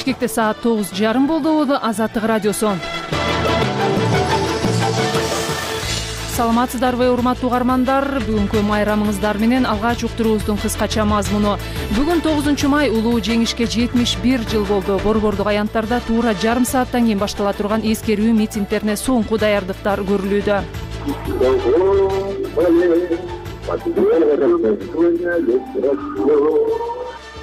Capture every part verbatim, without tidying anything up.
Бишкекте саат тогуз жарым болду. Азаттык радиосу. Саламатсыздарбы, урматтуу угармандар? Бүгүнкү майрамыңыздар менен алгач уктуруубуздун кыскача мазмуну. Бүгүн тогузунчу май улуу жеңишке жетимиш бир жыл болду. Борбордук аянттарда туура жарым сааттан кийин баштала турган эскерүү митингдерине соңку даярдыктар көрүлүүдө.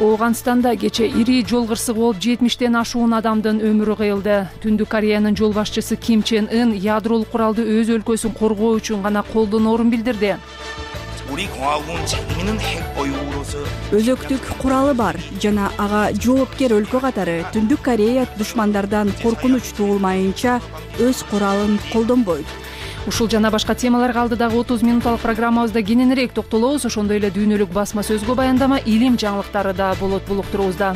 Ооганстанда кече ири жол кырсыгы болуп жетимиштен ашуун адамдын өмүрү кыйылды. Түндүк Кореянын жол башчысы Ким Чен Ын ядролук куралды өз өлкөсүн коргоо үчүн гана колдоноорун билдирди. Өзөктүк куралы бар жана ага жоопкер өлкө катары Түндүк Корея душмандардан коркунуч туулмайынча өз куралын колдонбойт. Ушул жана башка темаларга алдыдагы отуз минутталык программабызда кененирээк токтолобуз. Ошондой эле дүйнөлүк басма сөзгө баяндама, илим жаңылыктары да болот бул уктуруубузда.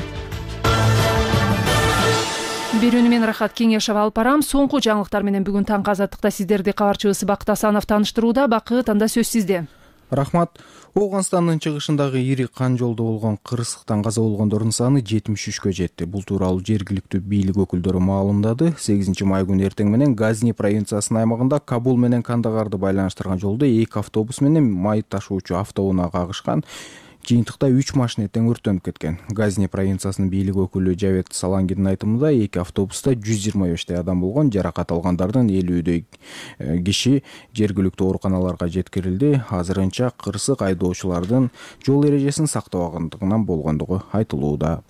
Берүүнү мен Рахат Кеңешева алып барам. Соңку жаңылыктар менен бүгүн таңкы Азаттыкта сиздерди кабарчыбыз Бакыт Асанов тааныштырууда. Бакыт, анда сөз сизде. Рахмат. Ооганстандын чыгышындагы ири кан жолдо болгон кырсыктан каза болгондордун саны жетимиш үчкө жетти. Бул тууралуу жергиликтүү бийлик өкүлдөрү маалымдады. сегизинчи май күнү эртең менен Газни провинциясынын аймагында Кабул менен Кандагарды байланыштырган жолдо эки автобус менен май ташуучу автоунаа кагышкан. Жыйынтыкта үч машина тең өрттөнүп кеткен. Газни провинциясынын бийлик өкүлү Жавет Салангидин айтымында эки автобуста жүз жыйырма бештей адам болгон. Жаракат алгандардын элүүдөй киши жергиликтүү ооруканаларга жеткирилди. Азырынча кырсык айдоочулардын жол эрежесин сактабагандыгынан болгондугу айтылууда.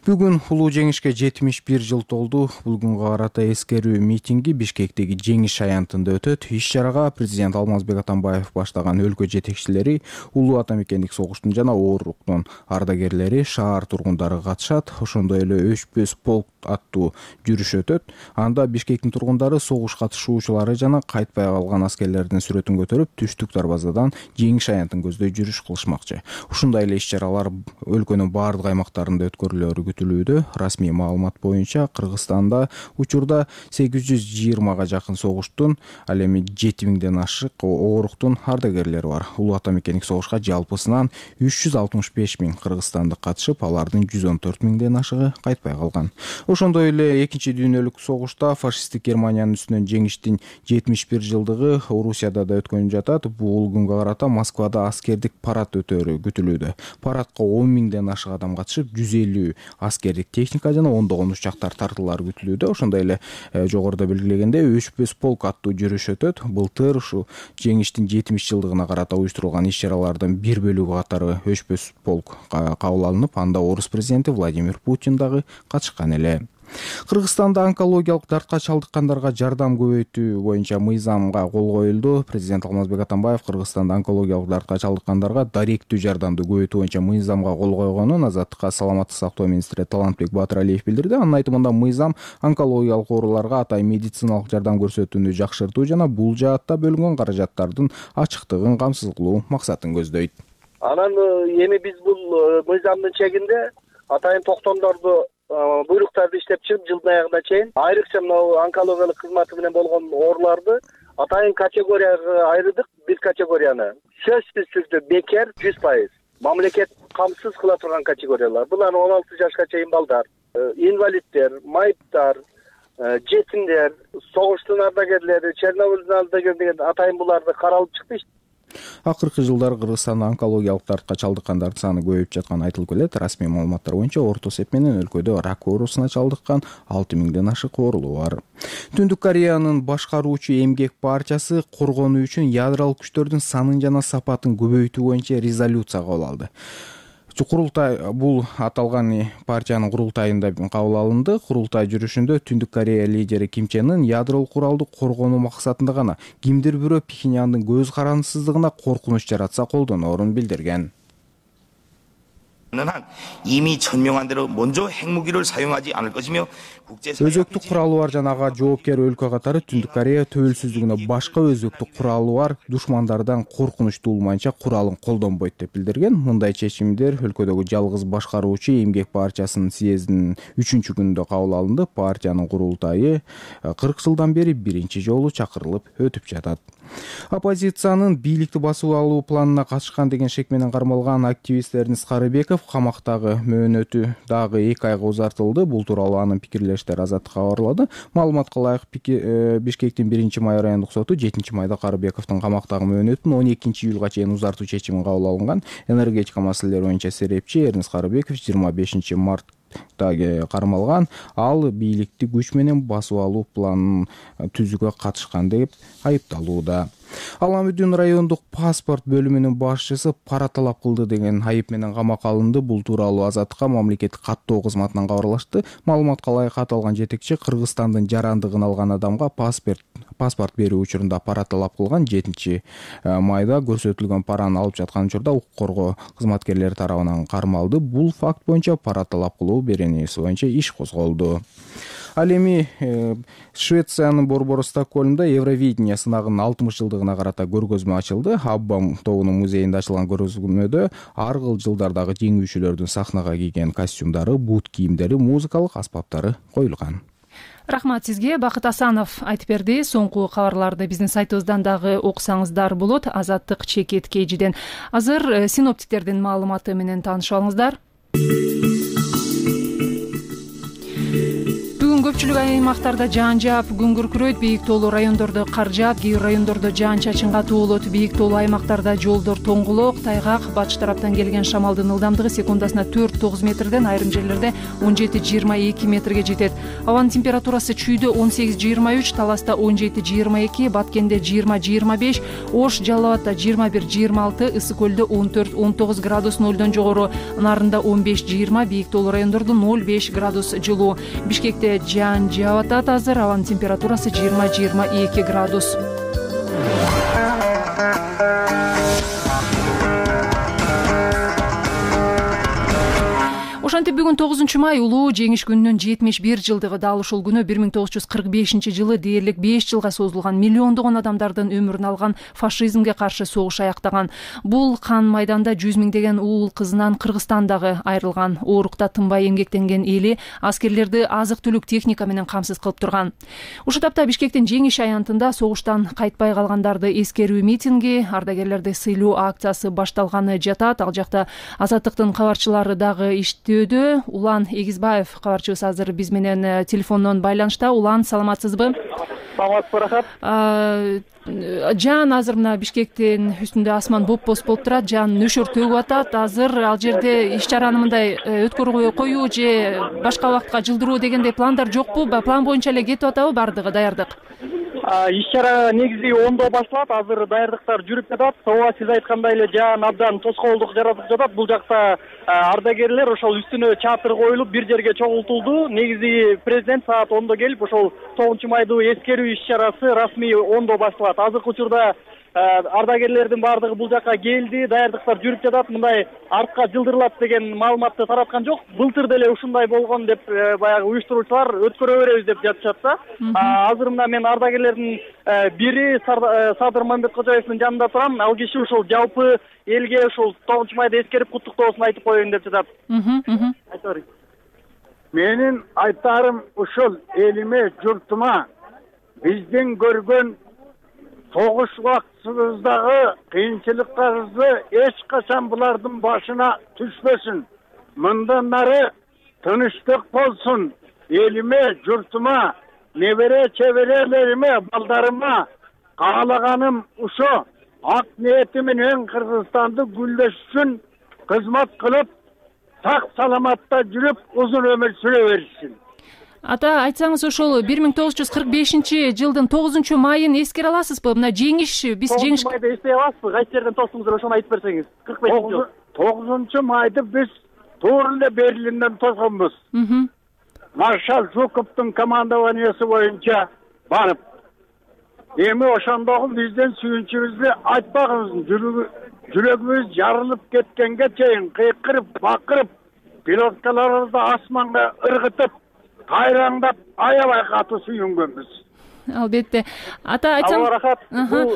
Бүгүн улуу жеңишке жетимиш бир жыл толду. Бул күнгө карата эскерүү митинги Бишкектеги Жеңиш аянтында өтөт. Иш-чарага президент Алмазбек Атамбаев баштаган өлкө жетекчилери, улуу ата мекендик согуштун жана ооруктун ардагерлери, шаар тургундары катышат. Ошондой эле өчпөс полк аттуу жүрүш өтөт. Анда Бишкектин тургундары согуш катышуучулары жана кайтпай калган аскерлердин сүрөтүн көтөрүп, түштүк дарбазадан Жеңиш аянтын көздөй жүрүш кылышмакчы. Ушундай эле иш-чаралар өлкөнүн баардык аймактарында өткөрүлөөрү күтүлүүдө. Расмий маалымат боюнча Кыргызстанда учурда сегиз жүз жыйырмага жакын согуштун, ал эми жети миңден ашык ооруктун ардагерлери бар. Улуу ата мекендик согушка жалпысынан үч жүз алтымыш беш миң кыргызстандык катышып, алардын жүз он төрт миңден ашыгы кайтпай калган. Ошондой эле экинчи дүйнөлүк согушта фашисттик Германиянын үстүнөн жеңиштин жетимиш бир жылдыгы Орусияда да өткөнүп жатат. Бул күнгө карата Москвада аскердик парад өтөөрү күтүлүүдө. Парадка он миңден ашык адам катышып, жүз элүү аскердик техника жана ондогон учактар тартылары күтүлүүдө. Ошондой эле жогоруда белгилегендей өчпөс полк аттуу жүрүш өтөт. Былтыр ушу жеңиштин жетимиш жылдыгына карата уюштурулган иш-чаралардын бир бөлүгү катары өчпөс полк кабыл алынып, анда орус президенти Владимир Путин дагы катышкан эле. Кыргызстанда онкологиялык дартка чалдыккандарга жардам көбөйтүү боюнча мыйзамга кол коюлду. Президент Алмазбек Атамбаев Кыргызстанда онкологиялык дартка чалдыккандарга даректүү жардамды көбөйтүү боюнча мыйзамга кол койгонун Азаттыкка саламаттык сактоо министри Талантбек Батыралиев билдирди. Анын айтымында мыйзам онкологиялык ооруларга атай медициналык жардам көрсөтүүнү жакшыртуу жана бул жаатта бөлүнгөн каражаттардын ачыктыгын камсыз кылуу максатын көздөйт. Анан эми биз бул мыйзамдын чегинде атайын токтомдорду буйруктарды иштеп чыгып жылдын аягына чейин айрыкча мына онкологиялык кызматы менен болгон ооруларды атайын категорияга айырдык. Бир категорияны сөзсүз түрдө бекер жүз пайыз мамлекет камсыз кыла турган категориялар. Булар он алты жашка чейин балдар, инвалиддер, майыптар, жетимдер, согуштун ардагерлери, Чернобыльдын ардагерлери деген атайын буларды каралып чыкты. Акыркы жылдары Кыргызстанда онкологиялык дартка чалдыккандардын саны көбөйүп жатканы айтылып келет. Расмий маалыматтар боюнча орто эсеп менен өлкөдө рак оорусуна чалдыккан алты миңден ашык оорулуу бар. Түндүк Кореянын башкаруучу эмгек партиясы коргонуу үчүн ядролук күчтөрдүн санын жана сапатын көбөйтүү боюнча резолюция кабыл алды. Курултай бул аталган партиянын курултайында кабыл алынды. Курултай жүрүшүндө Түндүк Корея лидери Ким Чен Ын ядролук куралды коргонуу максатында гана кимдир бирөө Пхеньяндын көз карандысыздыгына коркунуч жаратса колдоноорун билдирген. 이미 천명한 대로 먼저 핵무기를 사용하지 않을 것이며 өзөктүк куралы бар жана ага жоопкер өлкө катары Түндүк Корея төбөлсүздүгүнө башка өзөктүк куралы бар душмандардан коркунуч туулмайынча куралын колдонбойт деп билдирген. Мындай чечимдер өлкөдөгү жалгыз башкаруучу эмгек партиясынын съездинин үчүнчү күнүндө кабыл алынды. Партиянын курултайы кырк жылдан бери биринчи жолу чакырылып өтүп жатат. Оппозициянын бийликти басып алуу планына катышкан деген шек менен кармалган активист Эрнест Карыбеков камактагы мөөнөтү дагы эки айга узартылды. Бул тууралуу анын пикирлештери Азаттыкка кабарлады. Маалыматка ылайык Бишкектин биринчи май райондук соту жетинчи майда Карыбековдун камактагы мөөнөтүн он экинчи июлга чейин узартуу чечимин кабыл алган. Энергетика маселелери боюнча серепчи Эрнест Карыбеков жыйырма бешинчи март кармалган. Ал бийликти күч менен басып алуу планын түзүүгө катышкан деп айыпталууда. Аламүдүн райондук паспорт бөлүмүнүн башчысы пара талап кылды деген айып менен камакка алынды. Бул тууралуу Азаттыкка мамлекеттик каттоо кызматынан кабарлашты. Маалыматка ылайык аталган жетекчи Кыргызстандын жарандыгын алган адамга паспорт паспорт берүү учурунда пара талап кылган. жетинчи майда көрсөтүлгөн параны алып жаткан учурда укук коргоо кызматкерлери тарабынан кармалды. Бул факт боюнча пара талап кылуу беренеси боюнча иш козголду. Ал эми э, Швециянын борбору Стокгольмдо Евровидение сынагынын алтымыш жылдыгына карата көргөзмө ачылды. Аббам тобунун музейинде ачылган көргөзмөдө ар кыл жылдардагы жеңүүчүлөрдүн сахнага кийген костюмдары, бут кийимдери, музыкалык аспаптары коюлган. Рахмат сизге. Бакыт Асанов айтып берди. Соңку кабарларды биздин сайтыбыздан дагы окусаңыздар болот. Азаттык чекит кейжиден. Азыр синоптиктердин маалыматы менен таанышып алыңыздар. Көпчүлүк аймактарда жаан жаап, күн күркүрөйт, бийик тоолуу райондордо кар жаап, кээ бир райондордо жаан-чачын катуу болот. Бийик тоолуу аймактарда жолдор тоңгулок, тайгак, батыш тараптан келген шамалдын ылдамдыгы секундасына төрт тогуз метрден, айрым жерлерде он жети жыйырма эки метрге жетет. Абанын температурасы Чүйдө он сегиз жыйырма үч, Таласта он жети жыйырма эки, Баткенде жыйырма жыйырма беш, Ош, Жалал Абадта жыйырма бир жыйырма алты, Ысык көлдө он төрт он тогуз градус нолдон жогору, Нарында он беш жыйырма, бийик тоолуу райондордо ноль беш градус жылуу. Бишкекте жаан жаап атат. Азыр абанын температурасы жыйырма жыйырма эки градус. Ошентип бүгүн тогузунчу май улуу жеңиш күнүнүн жетимиш бир жылдыгы. Дал ушул күнү бир миң тогуз жүз кырк бешинчи жылы дээрлик беш жылга созулган миллиондогон адамдардын өмүрүн алган фашизмге каршы согуш аяктаган. Бул кан майданда жүз миңдеген уул кызынан Кыргызстан дагы айрылган. Оорукта тынбай эмгектенген эли аскерлерди азык-түлүк техника менен камсыз кылып турган. Ушул тапта Бишкектин жеңиш аянтында согуштан кайтпай калгандарды эскерүү митинги, ардагерлерди сыйлоо акциясы башталганы жатат. Ал жакта Азаттыктын кабарчылары дагы иштөө. Улан Эгизбаев кабарчыбыз азыр биз менен телефондон байланышта. Улан, саламатсызбы? Саламатсызбы, рахмат. Жаан азыр мына Бишкектин үстүндө асман боп-боз болуп турат, жаан нөшөр төгүп атат. Азыр ал жерде иш чараны мындай өткөрүүгө коюу же башка убакытка жылдыруу дегендей пландар жокпу? План боюнча эле кетип атабы бардыгы, даярдык? Иш чара негизи ондо башталат, азыр даярдыктар жүрүп жатат. Ооба, сиз айткандай эле жаан абдан тоскоолдук жаратып жатат. Бул жакта ардагерлер ошол үстүнө чатыр коюлуп бир жерге чогултулду. Негизи президент саат ондо келип ошол тогузунчу майдуу эскерүү иш чарасы расмий ондо башталат. Азыркы учурда ардагерлердин баардыгы бул жакка келди, даярдыктар жүрүп жатат. Мындай артка жылдырылат деген маалыматты тараткан жок. Былтыр деле ушундай болгон деп баягы уюштуруучулар өткөрө беребиз деп жатышат да. Азыр мына мен ардагерлердин бири Садыр Мамбеткожоевдин жанында турам. Ал киши ушул жалпы элге ушул тогузунчу майда эскерип куттуктоосун айтып коеюн деп жатат. Менин айтарым ушул: элиме, журтума, биздин көргөн согуш убактыбыздагы кыйынчылыктарыбызды эч качан булардын башына түшпөсүн. Мындан нары тынычтык болсун. Элиме, журтума, небере чеберелериме, балдарыма каалаганым ушо. Ак ниети менен Кыргызстанды гүлдөш үчүн кызмат кылып, сак саламатта жүрүп, узун өмүр сүрө беришsin. Ата, айтсаңыз, ошол бир миң тогуз жүз кырк бешинчи жылдын тогузунчу майын эскере аласызбы? Мына жеңиш, биз жеңиш тогузунчу майда эстей аласызбы? Кайсы жерден тостуңуздар, ошону айтып берсеңиз. кырк бешинчи жыл. тогузунчу майды биз туура эле Берлинден тосконбуз. Маршал Жуковдун командованиясы боюнча барып. Эми ошондогу бизден сүйүнчүбүздү айтпагыбыз, жүрөгүбүз жарылып кеткенге чейин кыйкырып, бакырып, пилоткаларыбызды асманга ыргытып, кайраңдап, аябай катуу сүйүнгөнбүз. Албетте. Ата, айтсам, рахат. Бул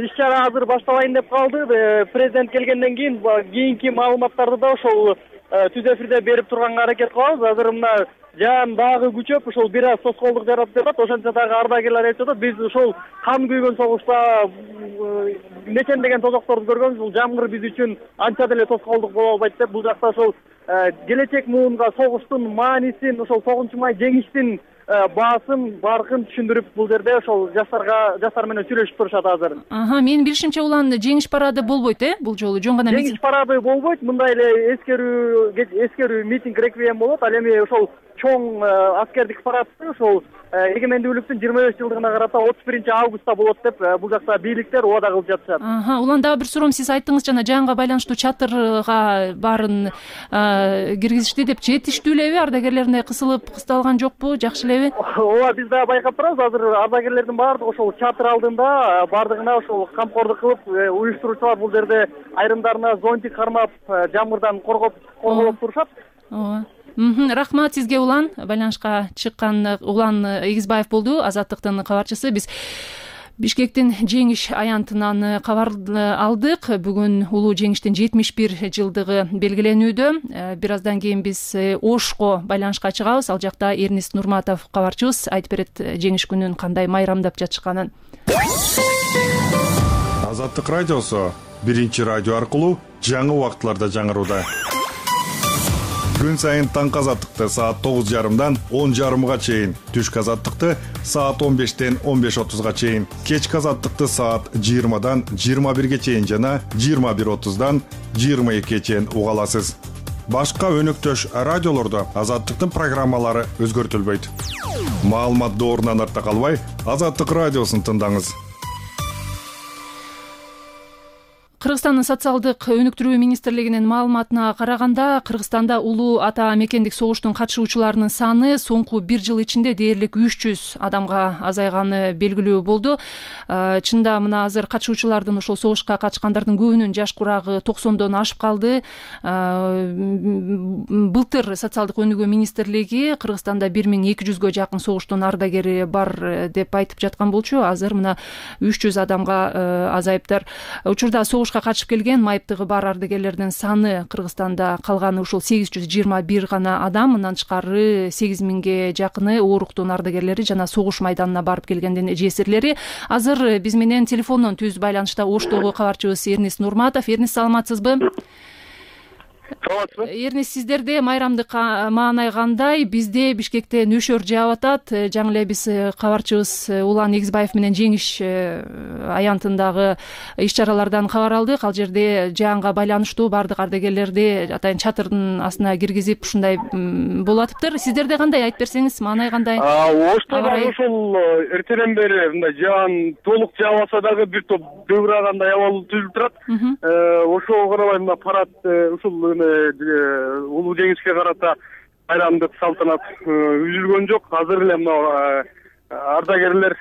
иш чара азыр башталайын деп калды. Президент келгенден кийин кийинки маалыматтарды да ошол түз эфирде берип турганга аракет кылабыз. Азыр мына жаан дагы күчөп, ошол бир аз тоскоолдук жаратып жатат. Ошентсе дагы ардагерлер айтып жатат, биз ошол кан күйгөн согушта нечендеген тозокторду көргөнбүз. Бул жамгыр биз үчүн анча деле тоскоолдук боло албайт деп, бул жакта ошол келечек муунга согуштун маанисин, ошол тогузунчу май жеңиштин баасын, баркын түшүндүрүп бул жерде ошол жаштарга жаштар менен сүйлөшүп турушат азыр. Аха, менин билишимче улан жеңиш парады болбойт, э? Бул жолу жөн гана жеңиш парады болбойт. Мындай эле эскерүү эскерүү митинг реквием болот. Ал эми ошол чоң аскердик парадты ошол эгемендүүлүктүн жыйырма беш жылдыгына карата отуз биринчи августта болот деп бул жакта бийликтер убада кылып жатышат. Аха, улан дагы бир суроом, сиз айттыңыз жана жаанга байланыштуу чатырга баарын киргизишти деп, жетиштүү элеби? Ардагерлерине кысылып кысталган жокпу? Жакшы элеби? Ооба, биз дагы байкап турабыз. Азыр ардагерлердин баардыгы ошол чатыр алдында баардыгына ошол камкордук кылып, уюштуруучулар бул жерде айрымдарына зонтик кармап, жамгырдан коргоп корголоп турушат. Ооба. Рахмат сизге, улан. Байланышка чыккан Улан Эгизбаев болду, Азаттыктын кабарчысы. Биз Бишкектин жеңиш аянтынан кабар алдык. Бүгүн улуу жеңиштин жетимиш бир жылдыгы белгиленүүдө. Бир аздан кийин биз Ошко байланышка чыгабыз. Ал жакта Эрнис Нурматов кабарчыбыз айтып берет жеңиш күнүн кандай майрамдап жатышканын. Азаттык радиосу биринчи радио аркылуу жаңы убакытларда жаңырууда. Күн сайын таңкы азаттыкты саат тогуз жарымдан он жарымга чейин, түшкү азаттыкты саат он бештен он беш отузга чейин, кечки азаттыкты саат жыйырмадан жыйырма бирге чейин жана жыйырма бир отуздан жыйырма экиге чейин уга аласыз. Башка өнөктөш радиолордо азаттыктын программалары өзгөртүлбөйт. Маалымат доорунан артта калбай, Азаттык радиосун тыңдаңыз. Кыргызстандын социалдык өнүктүрүү министрлигинин маалыматына караганда, Кыргызстанда улуу ата мекендик согуштун катышуучуларынын саны соңку бир жыл ичинде дээрлик үч жүз адамга азайганы белгилүү болду. Чында мына азыр катышуучулардын, ошол согушка катышкандардын көбүнүн жаш курагы токсондон ашып калды. Былтыр социалдык өнүгүү министрлиги Кыргызстанда бир миң эки жүзгө жакын согуштун ардагери бар деп айтып жаткан болчу. Азыр мына үч жүз адамга азайыптыр. Учурда согуш катышып келген майыптыгы бар ардагерлердин саны Кыргызстанда калганы ушул сегиз жүз жыйырма бир гана адам. Мындан тышкары сегиз миңге жакыны ооруктун ардагерлери жана согуш майданына барып келгендин жесирлери. Азыр биз менен телефондон түз байланышта Оштогу кабарчыбыз Эрнис Нурматов. Эрнис, саламатсызбы? Эрнис, сиздерде майрамдык маанай кандай? Бизде Бишкекте нөшөр жаап атат. Жаңы эле биз кабарчыбыз Улан Эгизбаев менен жеңиш аянтындагы иш-чаралардан кабар алдык. Ал жерде жаанга байланыштуу бардык ардагерлерди атайын чатырдын астына киргизип ушундай болуп атыптыр. Сиздерде кандай, айтып берсеңиз, маанай кандай? Оштодо ошол эртеден бери мындай жаан толук жаабаса дагы бир топ дөбүрагандай абал түзүлүп турат. Ошого карабай мына парад ушул улуу жеңишке карата майрамдык салтанат үзүлгөн жок. Азыр эле мына ардагерлер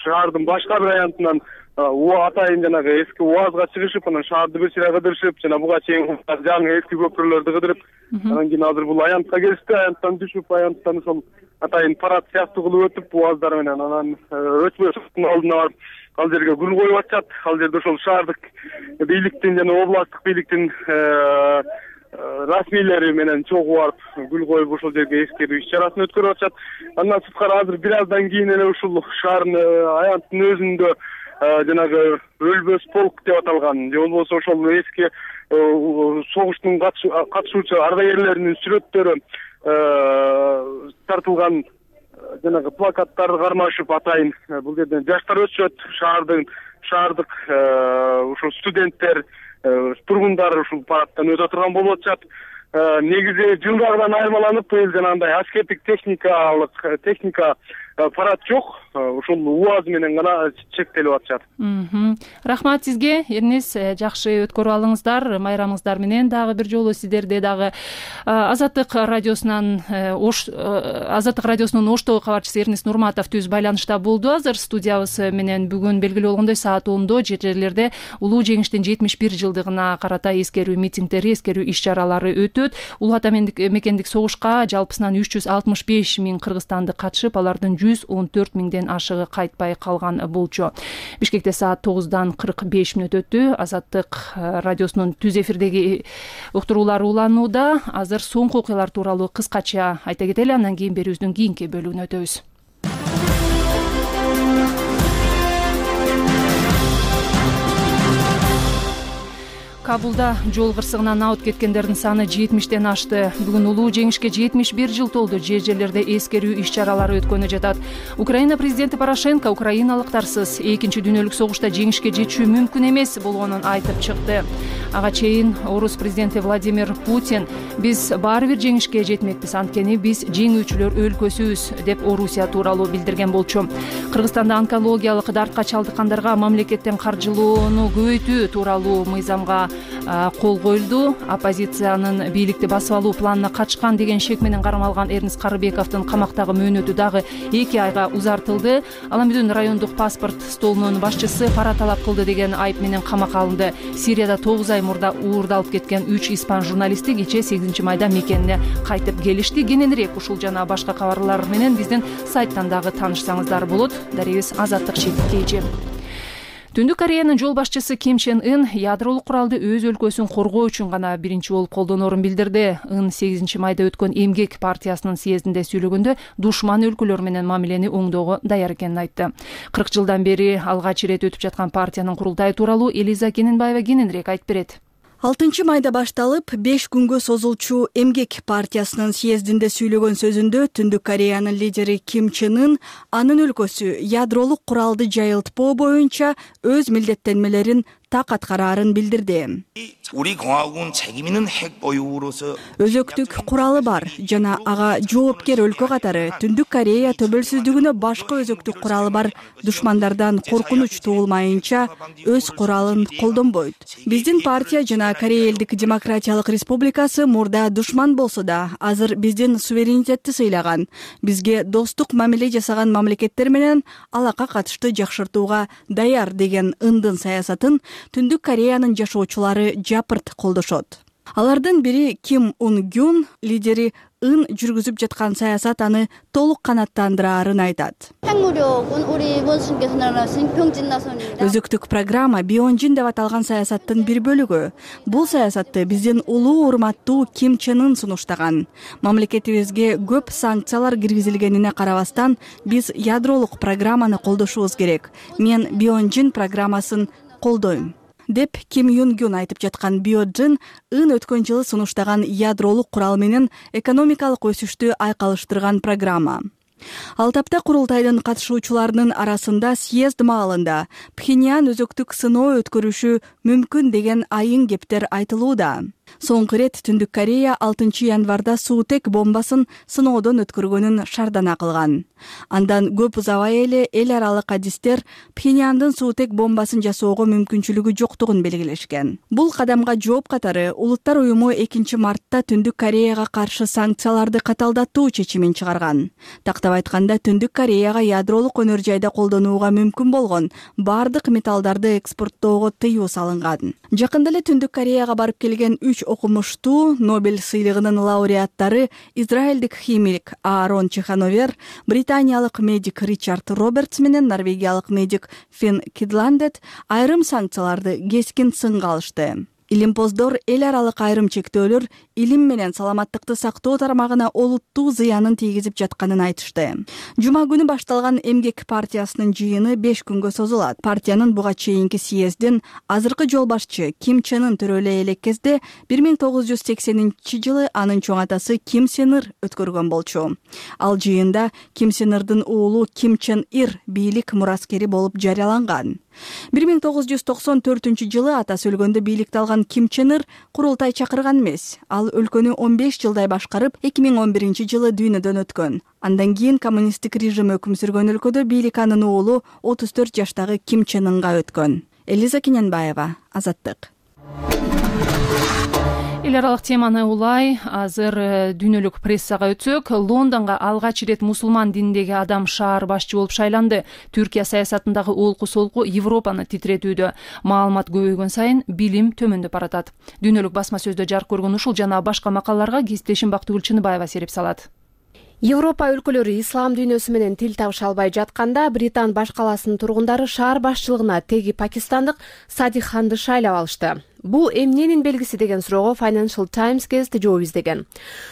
шаардын башка бир аянтынан атайын жанагы эски УАЗга чыгышып, анан шаарды бир сыйра кыдырышып, жана буга чейин жаңы эски көпүрөлөрдү кыдырып, анан кийин азыр бул аянтка келишти. Аянттан түшүп, аянттан ошол атайын парад сыяктуу кылып өтүп УАЗдар менен, анан өчмөштүн алдына барып ал жерге гүл коюп атышат. Ал жерде ошол шаардык бийликтин жана областтык бийликтин расмийлери менен чогуу барып гүл коюп ошол жерге эскерүү иш-чарасын өткөрүп атышат. Андан сырткары азыр бир аздан кийин эле ушул шаардын аянттын өзүндө жанагы өлбөс полк деп аталган, же болбосо ошол эски согуштун катышуучу ардагерлеринин сүрөттөрү тартылган жанагы плакаттарды кармашып, атайын бул жерден жаштар өтүшөт, шаардын шаардык ушул студенттер, тургундар ушул парадтан өтө турган болуп атышат. Негизи жылдагыдан айырмаланып, быйыл жанагындай аскердик техникалык техника парад жок, ушул УАЗ менен гана чектелип атышат. Рахмат сизге, Эрнис. Жакшы өткөрүп алыңыздар майрамыңыздар менен. Дагы бир жолу сиздерде дагы Азаттык радиосунан Азаттык радиосунун Оштогу кабарчысы Эрнис Нурматов түз байланышта болду. Азыр студиябыз менен бүгүн белгилүү болгондой саат ондо жер жерлерде улуу жеңиштин жетимиш бир жылдыгына карата эскерүү митингдери, эскерүү иш-чаралары өтөт. Улуу ата мекендик согушка жалпысынан үч жүз алтымыш беш миң кыргызстандык катышып, алардын жүз он төрт миңден ашыгы кайтпай калган болчу. Бишкекте саат тогуздан кырк беш мүнөт өттү. Азаттык радиосунун түз эфирдеги уктуруулары уланууда. Азыр соңку окуялар тууралуу кыскача айта кетели, андан кийин берүүбүздүн кийинки бөлүгүнө өтөбүз. Кабулда жол кырсыгынан абыт кеткендердин саны жетимиштен ашты. Бүгүн улуу жеңишке жетимиш бир жыл толду. Жер жерлерде эскерүү иш чаралары өткөнү жатат. Украина президенти Порошенко украиналыктарсыз экинчи дүйнөлүк согушта жеңишке жетишүү мүмкүн эмес болгонун айтып чыкты. Ага чейин орус президенти Владимир Путин биз баары бир жеңишке жетмекпиз, анткени биз жеңүүчүлөр өлкөсүбүз деп Орусия тууралуу билдирген болчу. Кыргызстанда онкологиялык дартка чалдыккандарга мамлекеттен каржылоону көбөйтүү тууралуу мыйзамга кол коюлду. Оппозициянын бийликти басып алуу планына качкан деген шек менен кармалган Эрнст Карыбековдун камактагы мөөнөтү дагы эки айга узартылды. Аламедин райондук паспорт столунун башчысы пара талап кылды деген айып менен камакка алынды. Сирияда тогуз ай мурда уурдалып кеткен үч испан журналисти кечээ сегизинчи майда мекенине кайтып келишти. Кененирээк ушул жана башка кабарлар менен биздин сайттан дагы таанышсаңыздар болот. Дарегибиз Азаттык Шеккейжи. Түндүк Кореянын жол башчысы Ким Чен Ын ядролук куралды өз өлкөсүн коргоо үчүн гана биринчи болуп колдоноорун билдирди. Ын сегизинчи майда өткөн Эмгек партиясынын съездинде сүйлөгөндө душман өлкөлөр менен мамилени оңдоого даяр экенин айтты. кырк жылдан бери алгач ирет өтүп жаткан партиянын курултайы тууралуу Элиза Кененбаева кененирээк айтып берет. алтынчы майда башталып беш күнгө созулчу Эмгек партиясынын съездинде сүйлөгөн сөзүндө Түндүк Кореянын лидери Ким Чен Ын анын өлкөсү ядролук куралды жайылтпоо боюнча өз милдеттенмелерин так аткараарын билдирди. Өзөктүк куралы бар жана ага жоопкер өлкө катары Түндүк Корея төбөлсүздүгүнө башка өзөктүк куралы бар душмандардан коркунуч туулмайынча өз куралын колдонбойт. Биздин партия жана Корея Элдик Демократиялык Республикасы мурда душман болсо да, азыр биздин суверенитетти сыйлаган, бизге достук мамиле жасаган мамлекеттер менен алака катышты жакшыртууга даяр деген Ындын саясатын Түндүк Кореянын жашоочулары жапырт колдошот. Алардын бири Ким Ун Гюн, лидери Ын жүргүзүп жаткан саясат аны толук канаттандыраарын айтат. Өзөктүк программа Бионжин деп аталган саясаттын бир бөлүгү. Бул саясатты биздин улуу урматтуу Ким Чен Ын сунуштаган. Мамлекетибизге көп санкциялар киргизилгенине карабастан, биз ядролук программаны колдошубуз керек. Мен Бионжин программасын колдойм деп Ким Юн Гюн айтып жаткан Бионжин Ын өткөн жылы сунуштаган ядролук курал менен экономикалык өсүштү айкалыштырган программа. Ал тапта курултайдын катышуучуларынын арасында съезд маалында Пхеньян өзөктүк сыноо өткөрүшү мүмкүн деген айың кептер айтылууда. Соңку ирет Түндүк Корея алтынчы январда суутек бомбасын сыноодон өткөргөнүн шардана кылган. Андан көп узабай эле эл аралык адистер Пхеньяндын суутек бомбасын жасоого мүмкүнчүлүгү жоктугун белгилешкен. Бул кадамга жооп катары Улуттар уюму экинчи мартта Түндүк Кореяга каршы санкцияларды каталдатуу чечимин чыгарган. Тактап айтканда, Түндүк Кореяга ядролук өнөр жайда колдонууга мүмкүн болгон бардык металлдарды экспорттоого тыюу салынган. Жакында эле Түндүк Кореяга барып келген үч окумуштуу Нобель сыйлыгынын лауреаттары израилдик химик Аарон Чехановер, британиялык медик Ричард Робертс менен норвегиялык медик Фин Кидландет айрым санкцияларды кескин сынга алышты. Илимпоздор эл аралык айрым чектөөлөр илим менен саламаттыкты сактоо тармагына олуттуу зыянын тийгизип жатканын айтышты. Жума күнү башталган Эмгек партиясынын жыйыны беш күнгө созулат. Партиянын буга чейинки съездин азыркы жол башчы Ким Чен Ын төрөлө элек кезде бир миң тогуз жүз сексенинчи жылы анын чоң атасы Ким Сен Ыр өткөргөн болчу. Ал жыйында Ким Сен Ырдын уулу Ким Чен Ир бийлик мураскери болуп жарыяланган. бир миң тогуз жүз токсон төртүнчү жылы атасы өлгөндө бийликти алган Ким Чен Ыр курултай чакырган эмес. Ал өлкөнү он беш жылдай башкарып, эки миң он биринчи жылы дүйнөдөн өткөн. Андан кийин коммунисттик режим өкүм сүргөн өлкөдө бийлик анын уулу отуз төрт жаштагы Ким Чен Ынга өткөн. Элиза Кененбаева, Азаттык. Эл аралык теманы улай азыр дүйнөлүк прессага өтсөк, Лондонго алгач ирет мусулман дининдеги адам шаар башчы болуп шайланды. Түркия саясатындагы олку-солку Европаны титретүүдө. Маалымат көбөйгөн сайын билим төмөндөп баратат. Дүйнөлүк басма сөздө жарык көргөн ушул жана башка макалаларга кесиптешим Бактыгүл Чыныбаева сереп салат. Европа өлкөлөрү ислам дүйнөсү менен тил табыша албай жатканда, Британ баш каласынын тургундары шаар башчылыгына теги пакистандык Садик Ханды шайлап алышты. Бул эмненин белгиси деген суроого Financial Times гезити жооп издеген.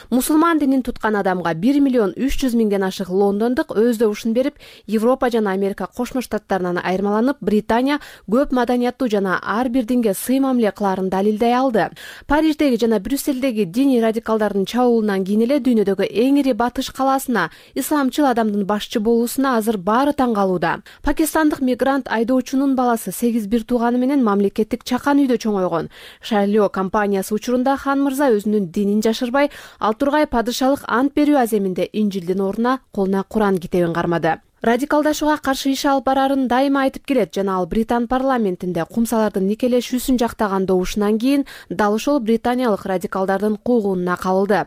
Мусулман динин туткан адамга бир миллион үч жүз миңден ашык лондондук өз добушун берип, Европа жана Америка Кошмо Штаттарынан айырмаланып, Британия көп маданияттуу жана ар бир динге сый мамиле кылаарын далилдей алды. Париждеги жана Брюссельдеги диний радикалдардын чабуулунан кийин эле дүйнөдөгү эң ири батыш калаасына исламчыл адамдын башчы болуусуна азыр баары таң калууда. Пакистандык мигрант айдоочунун баласы сегиз бир тууганы менен мамлекеттик чакан үйдө чоңойгон. Шарлио компаниясы учурунда хан мырза өзүнүн динин жашырбай, ал тургай падышалык ант берүү аземинде Инжилдин ордуна колуна Куран китебин кармады. Радикалдашууга каршы иш алып барарын дайыма айтып келет жана ал Британ парламентинде кумсалардын никелешүүсүн жактаган добушунан кийин дал ошол британиялык радикалдардын куугунуна кабылды.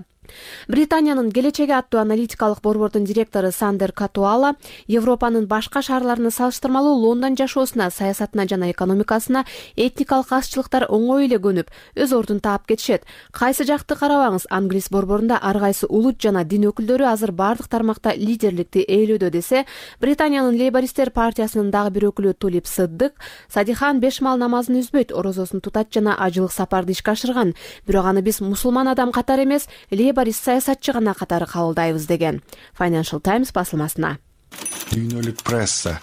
Британиянын келечеги аттуу аналитикалык борбордун директору Сандер Катуала Европанын башка шаарларына салыштырмалуу Лондон жашоосуна, саясатына жана экономикасына этникалык азчылыктар оңой эле көнүп, өз ордун таап кетишет. Кайсы жакты карабаңыз, англис борборунда ар кайсы улут жана дин өкүлдөрү азыр бардык тармакта лидерликти ээлөөдө десе, Британиянын Лейбористер партиясынын дагы бир өкүлү Тулип Сыддык Садихан беш мал намазын үзбөйт, орозосун тутат жана ажылык сапарды ишке ашырган. Бирок аны биз мусулман адам катары эмес, Лейборист саясатчы гана катары кабылдайбыз деген Financial Times басылмасына. Дүйнөлүк пресса.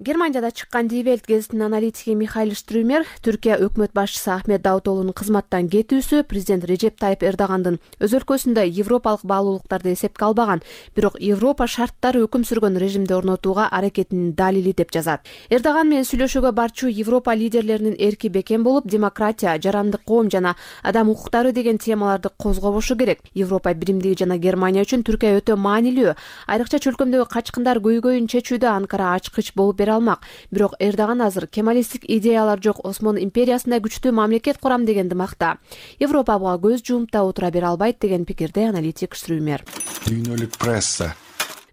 Германияда чыккан Die Welt гезитинин аналитиги Михаил Штрюмер Түркия өкмөт башчысы Ахмет Давутоглунун кызматтан кетүүсү президент Режеп Тайып Эрдогандын өз өлкөсүндө европалык баалуулуктарды эсепке албаган, бирок Европа шарттары өкүм сүргөн режимди орнотууга аракетинин далили деп жазат. Эрдоган менен сүйлөшүүгө барчу Европа лидерлеринин эрки бекем болуп, демократия, жарандык коом жана адам укуктары деген темаларды козгобошу керек. Европа биримдиги жана Германия үчүн Түркия өтө маанилүү. Айрыкча чөлкөмдөгү качкындар көйгөйүн чечүүдө Анкара ачкыч болуп бере алмак. Бирок Эрдоган азыр кемалисттик идеялар жок Осмон империясында күчтүү мамлекет курам дегенди макта. Европа буга көз жумуп да отура бере албайт деген пикирде аналитик Штрюмер. Дүйнөлүк пресса.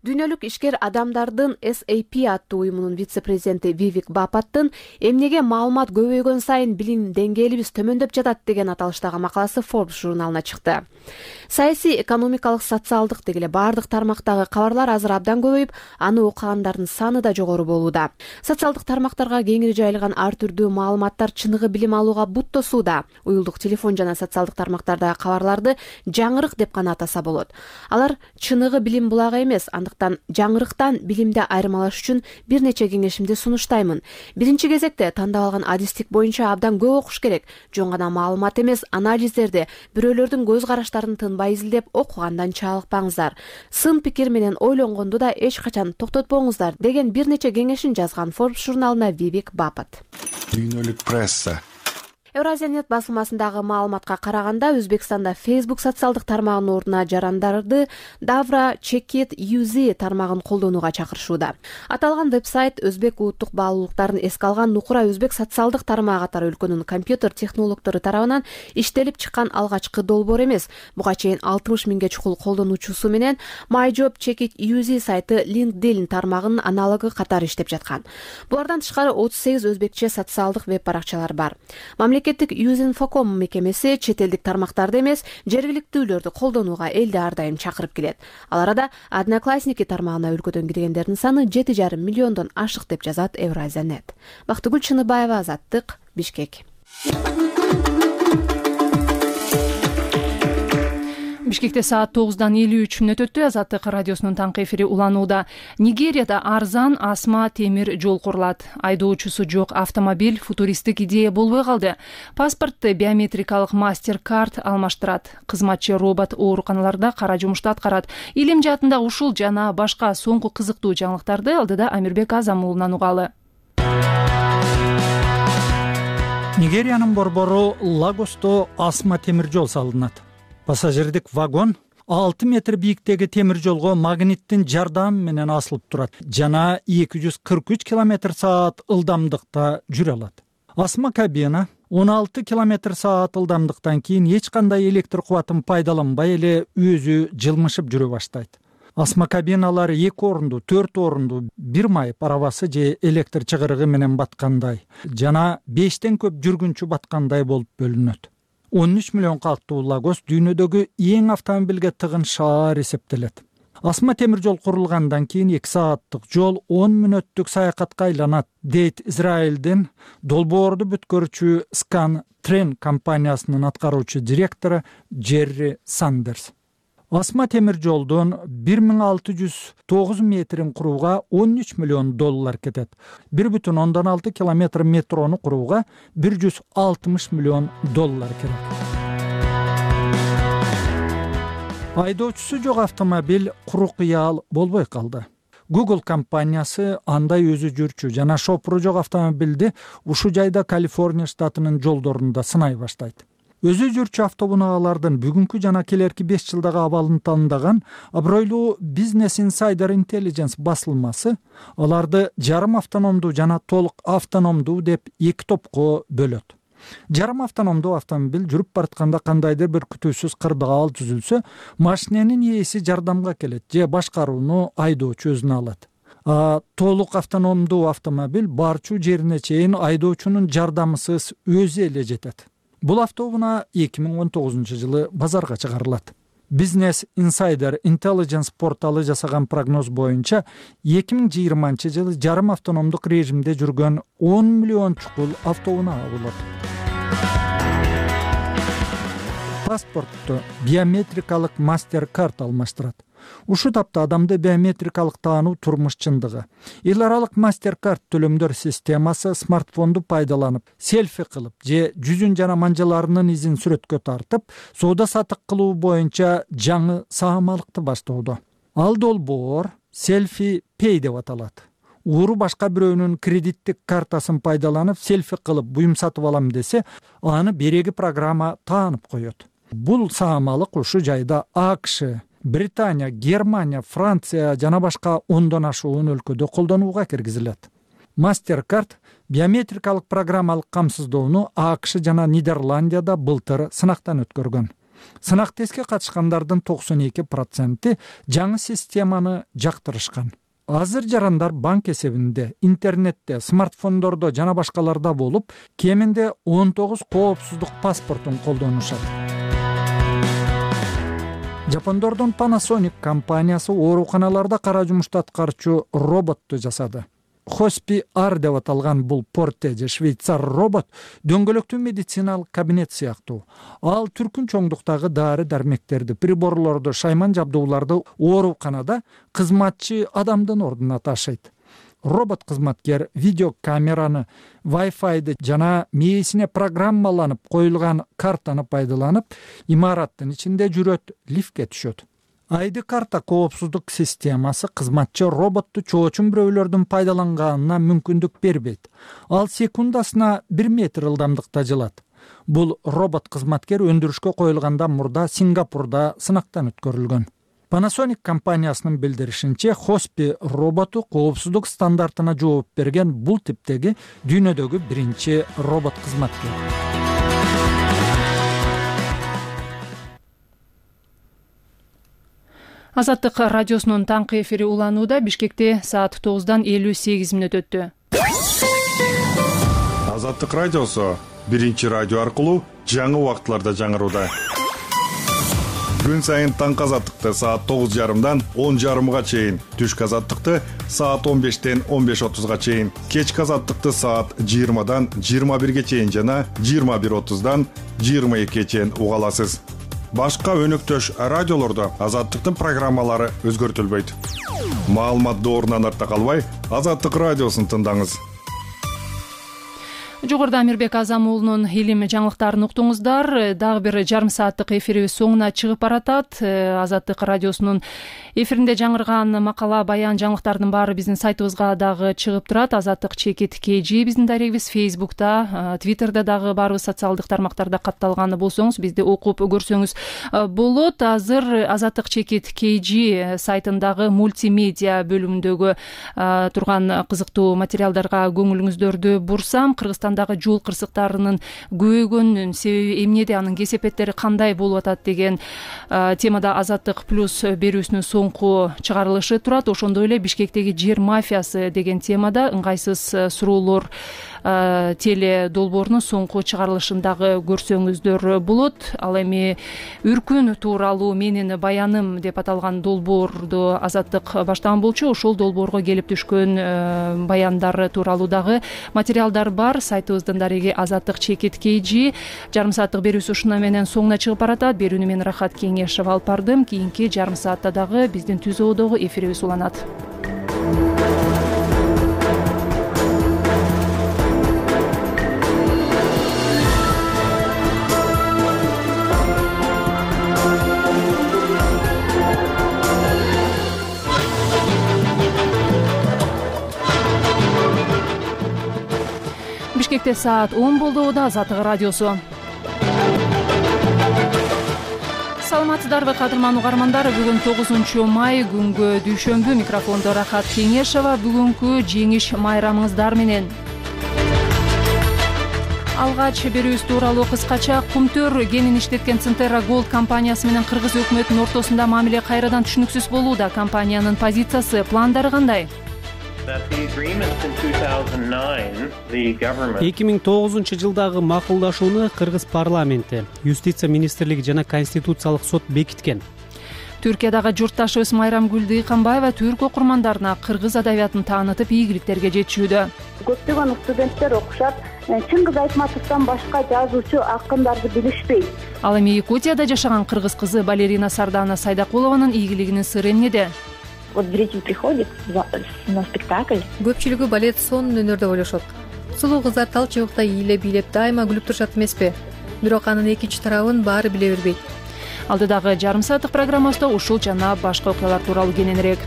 Дүйнөлүк ишкер адамдардын эс эй пи аттуу уюмунун вице-президенти Вивик Бапаттын эмнеге маалымат көбөйгөн сайын билим деңгээлибиз төмөндөп жатат деген аталыштагы макаласы Forbes журналына чыкты. Саясий, экономикалык, социалдык дегеле бардык тармактагы кабарлар азыр абдан көбөйүп, аны окугандардын саны да жогору болууда. Социалдык тармактарга кеңири жайылган ар түрдүү маалыматтар чыныгы билим алууга бут тосууда. Уюлдук телефон жана социалдык тармактардагы кабарларды жаңырык деп гана атаса болот. Алар чыныгы билим булагы эмес, андыктан жаңырыктан билимди айырмалаш үчүн бир нече кеңешимди сунуштаймын. Биринчи кезекте тандап алган адистик боюнча абдан көп окуш керек. Жөн гана маалымат эмес, анализдерди, бирөөлөрдүн көз караштарын тынбай изилдеп окугандан чалыкпаңыздар. Сын пикир менен ойлонгонду да эч качан токтотпоңуздар деген бир нече кеңешин жазган Forbes журналына Вивик Бапат. Дүйнөлүк пресса. Евразия-нет басылмасындагы маалыматка караганда, Өзбекстанда Facebook социалдык тармагынын ордуна жарандарды Davra Check-it ю зет тармагын колдонууга чакырышууда. Аталган веб-сайт өзбек улуттук баалуулуктарын эске алган нукура өзбек социалдык тармагы катары өлкөнүн компьютер технологдору тарабынан иштелип чыккан алгачкы долбоор эмес. Буга чейин алтымыш миңге чукул колдонуучусу менен MyJob Check-it ю зет сайты LinkedIn тармагынын аналогу катары иштеп жаткан. Булардан тышкары отуз сегиз өзбекче социалдык веб-баракчалар бар. Мамлекеттик Юзинфоком мекемеси чет элдик тармактарды эмес, жергиликтүүлөрдү колдонууга элди ар дайым чакырып келет. Ал арада Одноклассники тармагына өлкөдөн киргендердин саны жети жарым миллиондон ашык деп жазат Евразия-нет. Бактыгүл Чыныбаева, Азаттык, Бишкек. Бишкекте саат тогуздан элүү үч мүнөт өттү. Азаттык радиосунун таңкы эфири уланууда. Нигерияда арзан асма темир жол курулат. Айдоочусу жок автомобиль футуристик идея болбой калды. Паспортты биометрикалык мастер-карт алмаштырат. Кызматчы робот ооруканаларда кара жумушту аткарат. Илим жаатында ушул жана башка соңку кызыктуу жаңылыктарды алдыда Амирбек Азам уулунан угалы. Нигериянын борбору Лагосто асма темир жол салынат. Пассажирдик вагон алты метр бийиктеги темир жолго магниттин жардамы менен асылып турат жана эки жүз кырк үч километр саат ылдамдыкта жүрө алат. Асма кабина он алты километр саат ылдамдыктан кийин эч кандай электр кубатын пайдаланбай эле өзү жылмышып жүрө баштайт. Асма кабиналар эки орунду, төрт орунду, бир майып арабасы же электр чыгырыгы менен баткандай жана бештен көп жүргүнчү баткандай болуп бөлүнөт. он үч миллион калктуу Лагос дүйнөдөгү эң автомобилге тыгын шаар эсептелет. асма темир жол курулгандан кийин эки сааттык жол он мүнөттүк саякатка айланат, дейт Израилдин долбоорду бүткөрүүчү Scan Train компаниясынын аткаруучу директору Джерри Сандерс. Асма темир жолдун бир миң алты жүз тогуз метрин курууга он үч миллион доллар кетет. бир бүтүн ондон алты километр метрону курууга бир жүз алтымыш миллион доллар керек. Айдоочусу жок автомобиль куру кыял болбой калды. Google компаниясы андай өзү жүрчү жана шопуру жок автомобилди ушул жайда Калифорния штатынын жолдорунда сынай баштайт. Өзү жүрчү автоунаалардын бүгүнкү жана келерки беш жылдагы абалын тандаган абройлуу Business Insider Intelligence басылмасы аларды жарым автономдуу жана толук автономдуу деп эки топко бөлөт. Жарым автономдуу автомобиль жүрүп баратканда кандайдыр бир күтүүсүз кырдаал түзүлсө, машиненин ээси жардамга келет же башкарууну айдоочу өзүнө алат. А толук автономдуу автомобиль барчу жерине чейин айдоочунун жардамысыз өзү эле жетет. Бул автоунаа эки миң он тогузунчу жылы базарга чыгарылат. Business Insider Intelligence порталы жасаган прогноз боюнча эки миң жыйырманчы жылы жарым автономдук режимде жүргөн он миллион чукул автоунаа болот. Паспортту биометрикалык мастер-карт алмаштырат. Ушул тапта адамды биометрикалык таануу турмуш чындыгы. Эл аралык мастер-карт төлөмдөр системасы смартфонду пайдаланып, селфи кылып же жүзүн жана манжаларынын изин сүрөткө тартып, соода сатык кылуу боюнча жаңы саамалыкты баштоодо. Ал долбоор селфи пей деп аталат. Ууру башка бирөөнүн кредиттик картасын пайдаланып селфи кылып буюм сатып алам десе, аны береги программа таанып коет. Бул саамалык ушул жайда АКШ, Британия, Германия, Франция жана башка ондон ашуун өлкөдө колдонууга киргизилет. Мастер-карт биометрикалык программалык камсыздоону АКШ жана Нидерландияда былтыр сынактан өткөргөн. Сынак тестке катышкандардын токсон эки проценти жаңы системаны жактырышкан. Азыр жарандар банк эсебинде, интернетте, смартфондордо жана башкаларда болуп, кеминде он тогуз коопсуздук паспортун колдонушат. Жапондордун Panasonic компаниясы ооруканаларда кара жумушту аткарчу роботту жасады. Хоспи Ар деп аталган бул порте же швейцар робот дөңгөлөктүү медициналык кабинет сыяктуу. Ал түркүн чоңдуктагы дары дармектерди, приборлорду, шайман жабдууларды ооруканада кызматчы адамдын ордуна ташыйт. Робот кызматкер видеокамераны, Wi-Fi'ды жана мээсине программаланып коюлган картаны пайдаланып, имараттын ичинде жүрөт, лифтке түшөт. Айды карта коопсуздук системасы кызматчы роботту чоочун бирөөлөрдүн пайдаланганына мүмкүндүк бербейт. Ал секундасына бир метр ылдамдыкта жылат. Бул робот кызматкер өндүрүшкө коюлгандан мурда Сингапурда сынактан өткөрүлгөн. Panasonic компаниясынын билдиришинче, Хоспи роботу коопсуздук стандартына жооп берген бул типтеги дүйнөдөгү биринчи робот кызматкер. Азаттык радиосунун таңкы эфири уланууда. Бишкекте саат тогуздан элүү сегиз мүнөт өттү. Азаттык радиосу биринчи радио аркылуу жаңы убакытларда жаңырууда. Күн сайын таңкы азаттыкты саат тогуз жарымдан он жарымга чейин, түшкү азаттыкты саат он бештен он беш отузга чейин, кечки азаттыкты саат жыйырмадан жыйырма бирге чейин жана жыйырма бир отуздан жыйырма экиге чейин уга аласыз. Башка өнөктөш радиолордо азаттыктын программалары өзгөртүлбөйт. Маалымат доорунан артта калбай, Азаттык радиосун тыңдаңыз. Жогоруда Амирбек Азам уулунун илим жаңылыктарын уктуңуздар. Дагы бир жарым сааттык эфирибиз соңуна чыгып баратат. Азаттык радиосунун эфиринде жаңырган макала, баян, жаңылыктардын баары биздин сайтыбызга дагы чыгып турат. Азаттык чекит кей жи биздин дарегибиз. Фейсбукта, Твиттерде дагы барыбыз социалдык тармактарда катталган болсоңуз, бизди окуп көрсөңүз болот. Азыр Азаттык чекит кей жи сайтындагы мультимедиа бөлүмүндөгү турган кызыктуу материалдарга көңүлүңүздөрдү бурсам, Кыргызстан аймагындагы жол кырсыктарынын көбөйгөнүнүн себеби эмнеде, анын кесепеттери кандай болуп атат деген темада Азаттык плюс берүүсүнүн соңку чыгарылышы турат. Ошондой эле Бишкектеги жер мафиясы деген темада ыңгайсыз суроолор теле долбоорунун соңку чыгарылышындагы көрсөңүздөр болот. Ал эми үркүн тууралуу менин баяным деп аталган долбоорду Азаттык баштаган болчу. Ошол долбоорго келип түшкөн баяндар тууралуу дагы материалдар бар. Сайтыбыздын дареги Азаттык чекит kg. Жарым сааттык берүүсү ушуна менен соңуна чыгып баратат. Берүүнү мен Рахат Кеңешов алып бардым. Кийинки жарым саатта дагы биздин түз оодогу эфирибиз уланат. Бишкекте саат он болду. Азаттык радиосу. Саламатсыздарбы кадырман угармандар? Бүгүн тогузунчу май күнгө дүйшөмбү. Микрофондо Рахат Кеңешова. Бүгүнкү жеңиш майрамыңыздар менен. Алгач берүүбүз тууралуу кыскача. Кумтөр кенин иштеткен Центерра Голд компаниясы менен кыргыз өкмөтүнүн ортосунда мамиле кайрадан түшүнүксүз болууда. Компаниянын позициясы, пландары кандай? эки миң тогузунчу жылдагы макулдашууну Кыргыз парламенти, Юстиция министрлиги жана Конституциялык сот бекиткен. Түркиядагы журтташыбыз Майрамгүл Дыйканбаева түрк окурмандарына кыргыз адабиятын таанытып, ийгиликтерге жетишүүдө. Көптөгөн студенттер окушат, Чыңгыз Айтматовдон башка жазуучу, акындарды билишпейт. Ал эми Якутияда жашаган кыргыз кызы Балерина Сардана Сайдакулованын ийгилигинин сыры эмнеде? Вот зритель приходит на спектакль. Көпчүлүгү балет сонун өнөр деп ойлошот. Сулуу кыздар тал чыбыкта ийилеп бийлеп дайыма күлүп турушат эмеспи? Бирок анын экинчи тарабын баары биле бербейт. Алдыдагы жарым сааттык программабызда ушул жана башка окуялар тууралуу кененирээк.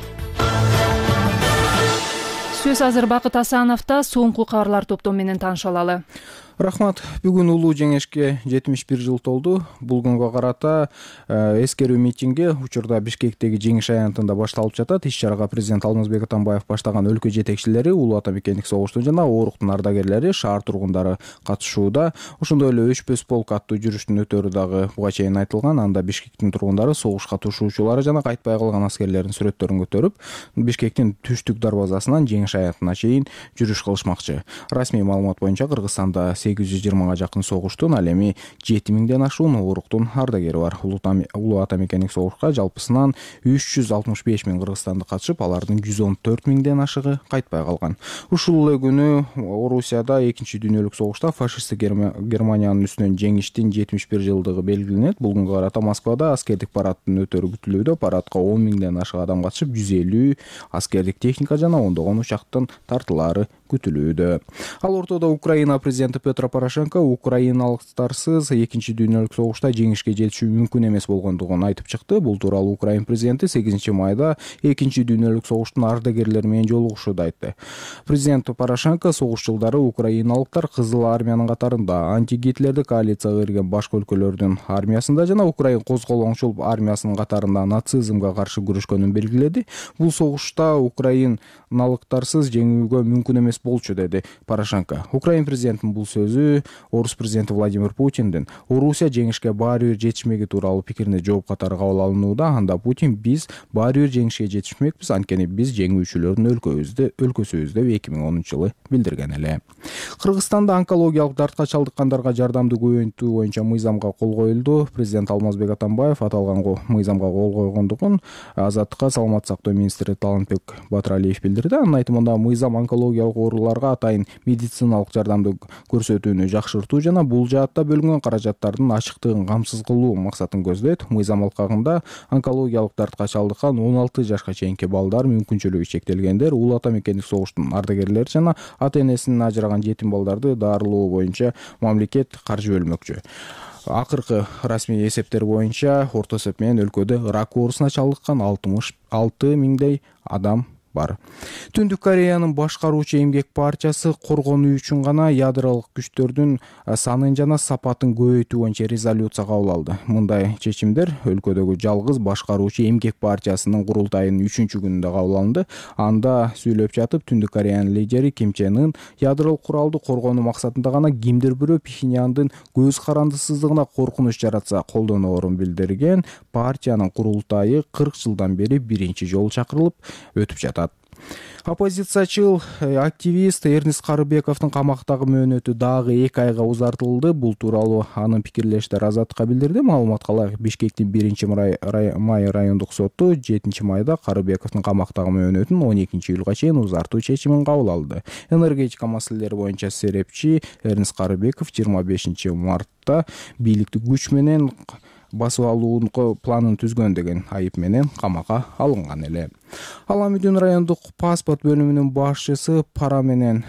Сөз азыр Бакыт Асановдо. Соңку кабарлар топтом менен тааныша алалы. Рахмат. Бүгүн улуу жеңишке жетимиш бир жыл толду. Бул күнгө карата эскерүү митинги учурда Бишкектеги жеңиш аянтында башталып жатат. Иш-чарага президент Алмазбек Атамбаев баштаган өлкө жетекчилери, улуу ата мекендик согуштун жана ооруктун ардагерлери, шаар тургундары катышууда. Ошондой эле Өчпөс полк аттуу жүрүштүн өтөрү дагы буга чейин айтылган. Анда Бишкектин тургундары согушка катышуучулары жана кайтпай калган аскерлердин сүрөттөрүн көтөрүп, Бишкектин түштүк дарбазасынан жеңиш аянтына чейин жүрүш кылышмакчы. Расмий маалымат боюнча Кыргызстанда сегиз жүз жыйырмага жакын согуштун, ал эми жети миңден ашуун ооруктун ардагери бар. Улуу ата мекендик согушка жалпысынан үч жүз алтымыш беш миң кыргызстандык катышып, алардын жүз он төрт миңден ашыгы кайтпай калган. Ушул эле күнү Орусияда экинчи дүйнөлүк согушта фашисттик Германиянын үстүнөн жеңиштин жетимиш бир жылдыгы белгиленет. Бул күнгө карата Москвада аскердик парадтын өтөрү күтүлүүдө. Парадка он миңден ашык адам катышып, жүз элүү аскердик техника жана ондогон учактын тартылаары күтүлүүдө. Ал ортодо Украина президенти Петр Порошенко украиналыктарсыз экинчи дүйнөлүк согушта жеңишке жетишүү мүмкүн эмес болгондугун айтып чыкты. Бул тууралуу Украин президенти сегизинчи майда экинчи дүйнөлүк согуштун ардагерлери менен жолугушууда айтты. Президент Порошенко согуш жылдары украиналыктар Кызыл армиянын катарында, антигитлердик коалицияга кирген башка өлкөлөрдүн армиясында жана Украин козголоңчул армиясынын катарында нацизмге каршы күрөшкөнүн белгиледи. Бул согушта украиналыктарсыз жеңүүгө мүмкүн эмес болчу, деди Порошенко. Украин президентинин бул сөзү Орус президенти Владимир Путиндин Орусия жеңишке баары бир жетишмеги тууралуу пикирине жооп катары кабыл алынууда. Анда Путин: биз баары бир жеңишке жетишмекпиз, анткени биз жеңүүчүлөрдүн өлкөбүздө өлкөсүбүз деп эки миң онунчу жылы билдирген эле. Кыргызстанда онкологиялык дартка чалдыккандарга жардамды көбөйтүү боюнча мыйзамга кол коюлду. Президент Алмазбек Атамбаев аталган мыйзамга кол койгондугун Азаттыкка саламаттык сактоо министри Талантбек Батыралиев билдирди. Анын айтымында мыйзам онкологиялык ооруларга атайын медициналык жардамды көрсөтүүнү жакшыртуу жана бул жаатта бөлүнгөн каражаттардын ачыктыгын камсыз кылуу максатын көздөйт. Мыйзам алкагында онкологиялык дартка чалдыккан он алты жашка чейинки балдар, мүмкүнчүлүгү чектелгендер, улуу ата мекендик согуштун ардагерлери жана ата-энесинен ажыраган жетим балдарды дарылоо боюнча мамлекет каржы бөлмөкчү. Акыркы расмий эсептер боюнча орто эсеп менен өлкөдө рак оорусуна чалдыккан алтымыш алты миңдей адам бар. Түндүк Кореянын башкаруучу эмгек партиясы коргонуу үчүн гана ядролук күчтөрдүн санын жана сапатын көбөйтүү боюнча резолюция кабыл алды. Мындай чечимдер өлкөдөгү жалгыз башкаруучу эмгек партиясынын курултайынын үчүнчү күнүндө кабыл алынды. Анда сүйлөп жатып Түндүк Кореянын лидери Ким Чен Ын ядролук куралды коргонуу максатында гана кимдир бирөө Пхеньяндын көз карандысыздыгына коркунуч жаратса колдоноорун билдирген. Партиянын курултайы кырк жылдан бери биринчи жолу чакырылып өтүп жатат. Оппозициячыл активист Эрнест Карыбековдун камактагы мөөнөтү дагы эки айга узартылды. Бул тууралуу анын пикирлештери Азаттыкка билдирди. Маалыматка ылайык, Бишкектин биринчи май райондук соту жетинчи майда Карыбековдун камактагы мөөнөтүн он экинчи июлга чейин узартуу чечимин кабыл алды. Энергетика маселелери боюнча серепчи Эрнест Карыбеков жыйырма бешинчи мартта бийликти күч менен басып алуу планын түзгөн деген айып менен камакка алынган эле. Аламүдүн райондук паспорт бөлүмүнүн башчысы пара менен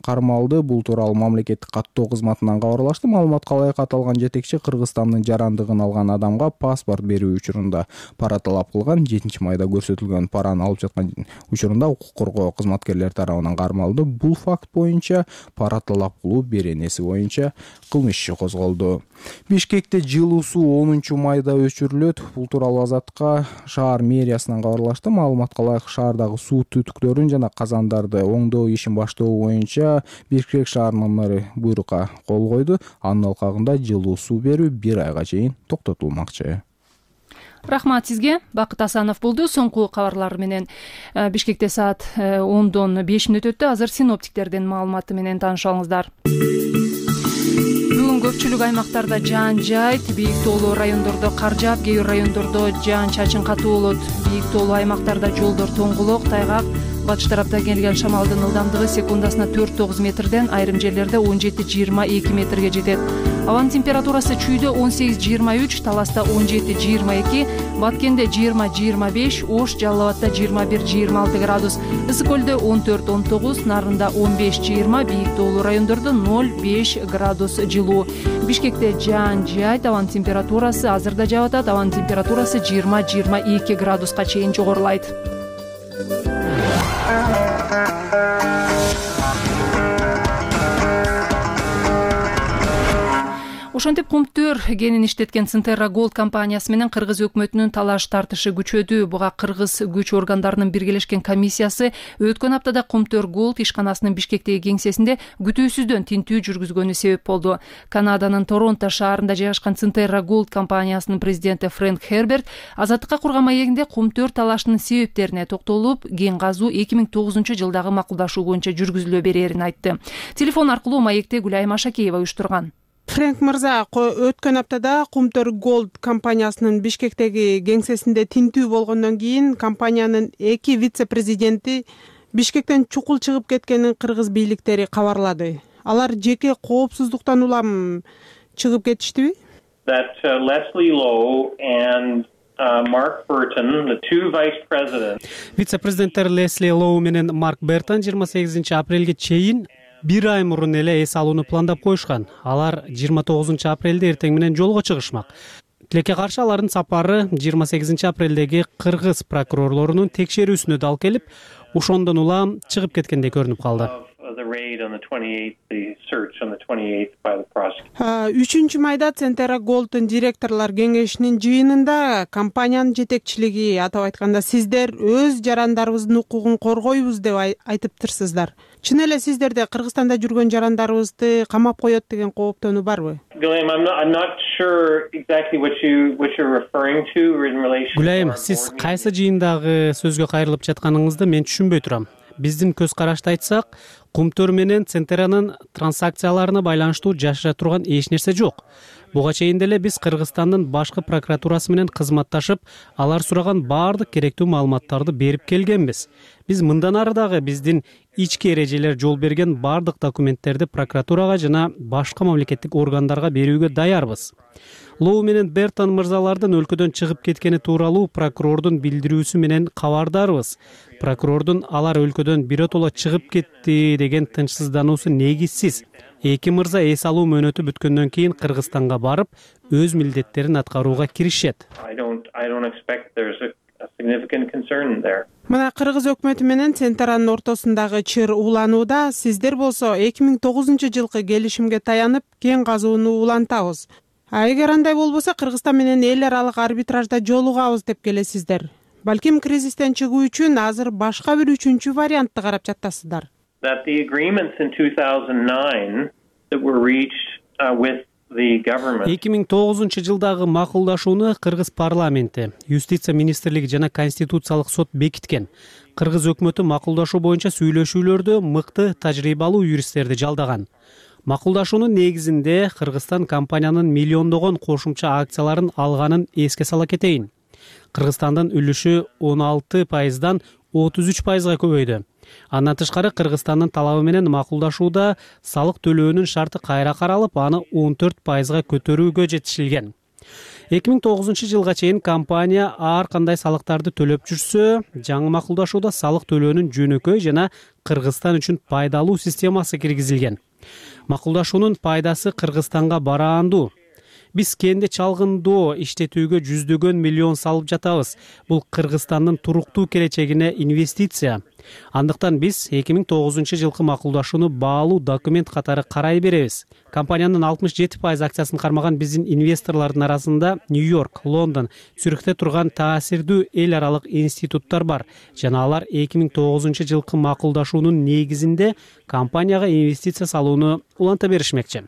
кармалды. Бул тууралуу мамлекеттик каттоо кызматынан кабарлашты. Маалыматка ылайык, аталган жетекчи Кыргызстандын жарандыгын алган адамга паспорт берүү учурунда пара талап кылган. жетинчи майда көрсөтүлгөн параны алып жаткан учурунда укук коргоо кызматкерлери тарабынан кармалды. Бул факт боюнча пара талап кылуу беренеси боюнча кылмыш иши козголду. Бишкекте жылуу суу онунчу майда өчүрүлөт. Бул тууралуу Азаттыкка шаар мэриясынан кабарлашты. Маалыматка ылайык, шаардагы суу түтүктөрүн жана казандарды оңдоо ишин баштоо боюнча Бишкек шаарынын мэрі буйрукка кол койду. Анын алкагында жылуу суу берүү бир айга чейин токтотулмакчы. Рахмат сизге. Бакыт Асанов болду. Соңку кабарлар менен Бишкекте саат ондон беш мүнөт өттү. Азыр синоптиктердин маалыматы менен таанышалыңыздар. Бүгүн көпчүлүк аймактарда жаан жайт, бийик тоолуу райондордо кар жаап, кээ бир райондордо жаан чачын катуу болот. Бийик тоолуу аймактарда жолдор тоңгулок, тайгак, батыш тараптан келген шамалдын ылдамдыгы секундасына төрт тогуз метрден, айрым жерлерде он жети жыйырма эки метрге жетет. Абанын температурасы Чүйдө он сегиз жыйырма үч, Таласта он жети жыйырма эки, Баткенде жыйырма жыйырма беш, Ош, Жалал Абадта жыйырма бир жыйырма алты градус, Ысык көлдө он төрт он тогуз, Нарында он беш жыйырма, бийик тоолуу райондордо ноль беш градус жылуу. Бишкекте жаан жайт, абанын температурасы азырда жаап атат, абанын температурасы жыйырма жыйырма эки градуска чейин жогорулайт. Ошентип Кумтөр кенин иштеткен Центерра Голд компаниясы менен кыргыз өкмөтүнүн талаш тартышы күчөдү. Буга кыргыз күч органдарынын биргелешкен комиссиясы өткөн аптада Кумтөр Голд ишканасынын Бишкектеги кеңсесинде күтүүсүздөн тинтүү жүргүзгөнү себеп болду. Канаданын Торонто шаарында жайгашкан Центерра Голд компаниясынын президенти Фрэнк Херберт Азаттыкка курган маегинде Кумтөр талашынын себептерине токтолуп, кен казуу эки миң тогузунчу жылдагы макулдашуу боюнча жүргүзүлө берерин айтты. Телефон аркылуу маекти Гүлайым Ашакеева уюштурган. Фрэнк мырза, өткөн аптада Кумтөр Голд компаниясынын Бишкектеги кеңсесинде тинтүү болгондон кийин компаниянын эки вице-президенти Бишкектен чукул чыгып кеткенин кыргыз бийликтери кабарлады. Алар жеке коопсуздуктан улам чыгып кетиштиби? That uh, Leslie Lowe and uh, Mark Burton, the two vice presidents. Вице-президенттер Лесли Лоу менен Марк Бертон жыйырма сегизинчи апрелге чейин бир ай мурун эле эс алууну пландап коюшкан. Алар жыйырма тогузунчу апрелде эртең менен жолго чыгышмак. Тилекке каршы алардын сапары жыйырма сегизинчи апрелдеги кыргыз прокурорлорунун текшерүүсүнө дал келип, ошондон улам чыгып кеткендей көрүнүп калды. үчүнчү майда Центерра Голдтун директорлор кеңешинин жыйынында компаниянын жетекчилиги, атап айтканда сиздер өз жарандарыбыздын укугун коргойбуз деп айтыптырсыздар. Чын эле сиздерде Кыргызстанда жүргөн жарандарыбызды камап коет деген кооптонуу барбы? Гүлайым, сиз кайсы жыйындагы сөзгө кайрылып жатканыңызды мен түшүнбөй турам. Биздин көз карашты айтсак, Кумтөр менен Центерранын транзакцияларына байланыштуу жашыра турган эч нерсе жок. Буга чейин деле биз Кыргызстандын башкы прокуратурасы менен кызматташып, алар сураган баардык керектүү маалыматтарды берип келгенбиз. Биз мындан ары дагы биздин ички эрежелер жол берген баардык документтерди прокуратурага жана башка мамлекеттик органдарга берүүгө даярбыз. Лоу менен Бертон мырзалардын өлкөдөн чыгып кеткени тууралуу прокурордун билдирүүсү менен кабардарбыз. Прокурордун алар өлкөдөн биротоло чыгып кетти деген тынчсыздануусу негизсиз. Эки мырза эс алуу мөөнөтү бүткөндөн кийин Кыргызстанга барып, өз милдеттерин аткарууга киришет. significant concern there. Мына Кыргыз өкмөтү менен Центранын ортосундагы чыр уланууда, сиздер болсо эки миң тогузунчу жылкы келишимге таянып кен казууну улантабыз. А эгер андай болбосо Кыргызстан менен эл аралык арбитражда жолугабыз деп келесиздер. Балким кризистен чыгуу үчүн азыр башка бир үчүнчү вариантты карап жатасыздар. That the agreements in two thousand nine that were reached uh, with эки миң тогузунчу жылдагы макулдашууну Кыргыз парламенти, Юстиция министрлиги жана Конституциялык сот бекиткен. Кыргыз өкмөтү макулдашуу боюнча сүйлөшүүлөрдө мыкты тажрыйбалуу юристтерди жалдаган. Макулдашуунун негизинде Кыргызстан компаниянын миллиондогон кошумча акцияларын алганын эске сала кетейин. Кыргызстандын үлүшү он алты пайыздан отуз үч пайызга көбөйдү. Андан тышкары Кыргызстандын талабы менен макулдашууда салык төлөөнүн шарты кайра каралып, аны он төрт пайызга көтөрүүгө жетишилген. эки миң тогузунчу жылга чейин компания ар кандай салыктарды төлөп жүрсө, жаңы макулдашууда салык төлөөнүн жөнөкөй жана Кыргызстан үчүн пайдалуу системасы киргизилген. Макулдашуунун пайдасы Кыргызстанга бараандуу. Биз кенди чалгындоо иштетүүгө жүздөгөн миллион салып жатабыз. Бул Кыргызстандын туруктуу келечегине инвестиция. Андыктан биз эки миң тогузунчу жылкы макулдашууну баалуу документ катары карай беребиз. Компаниянын алтымыш жети пайыз акциясын кармаган биздин инвесторлордун арасында Нью-Йорк, Лондон, Цюрихте турган таасирдүү эл аралык институттар бар жана алар эки миң тогузунчу жылкы макулдашуунун негизинде компанияга инвестиция салууну уланта беришмекчи.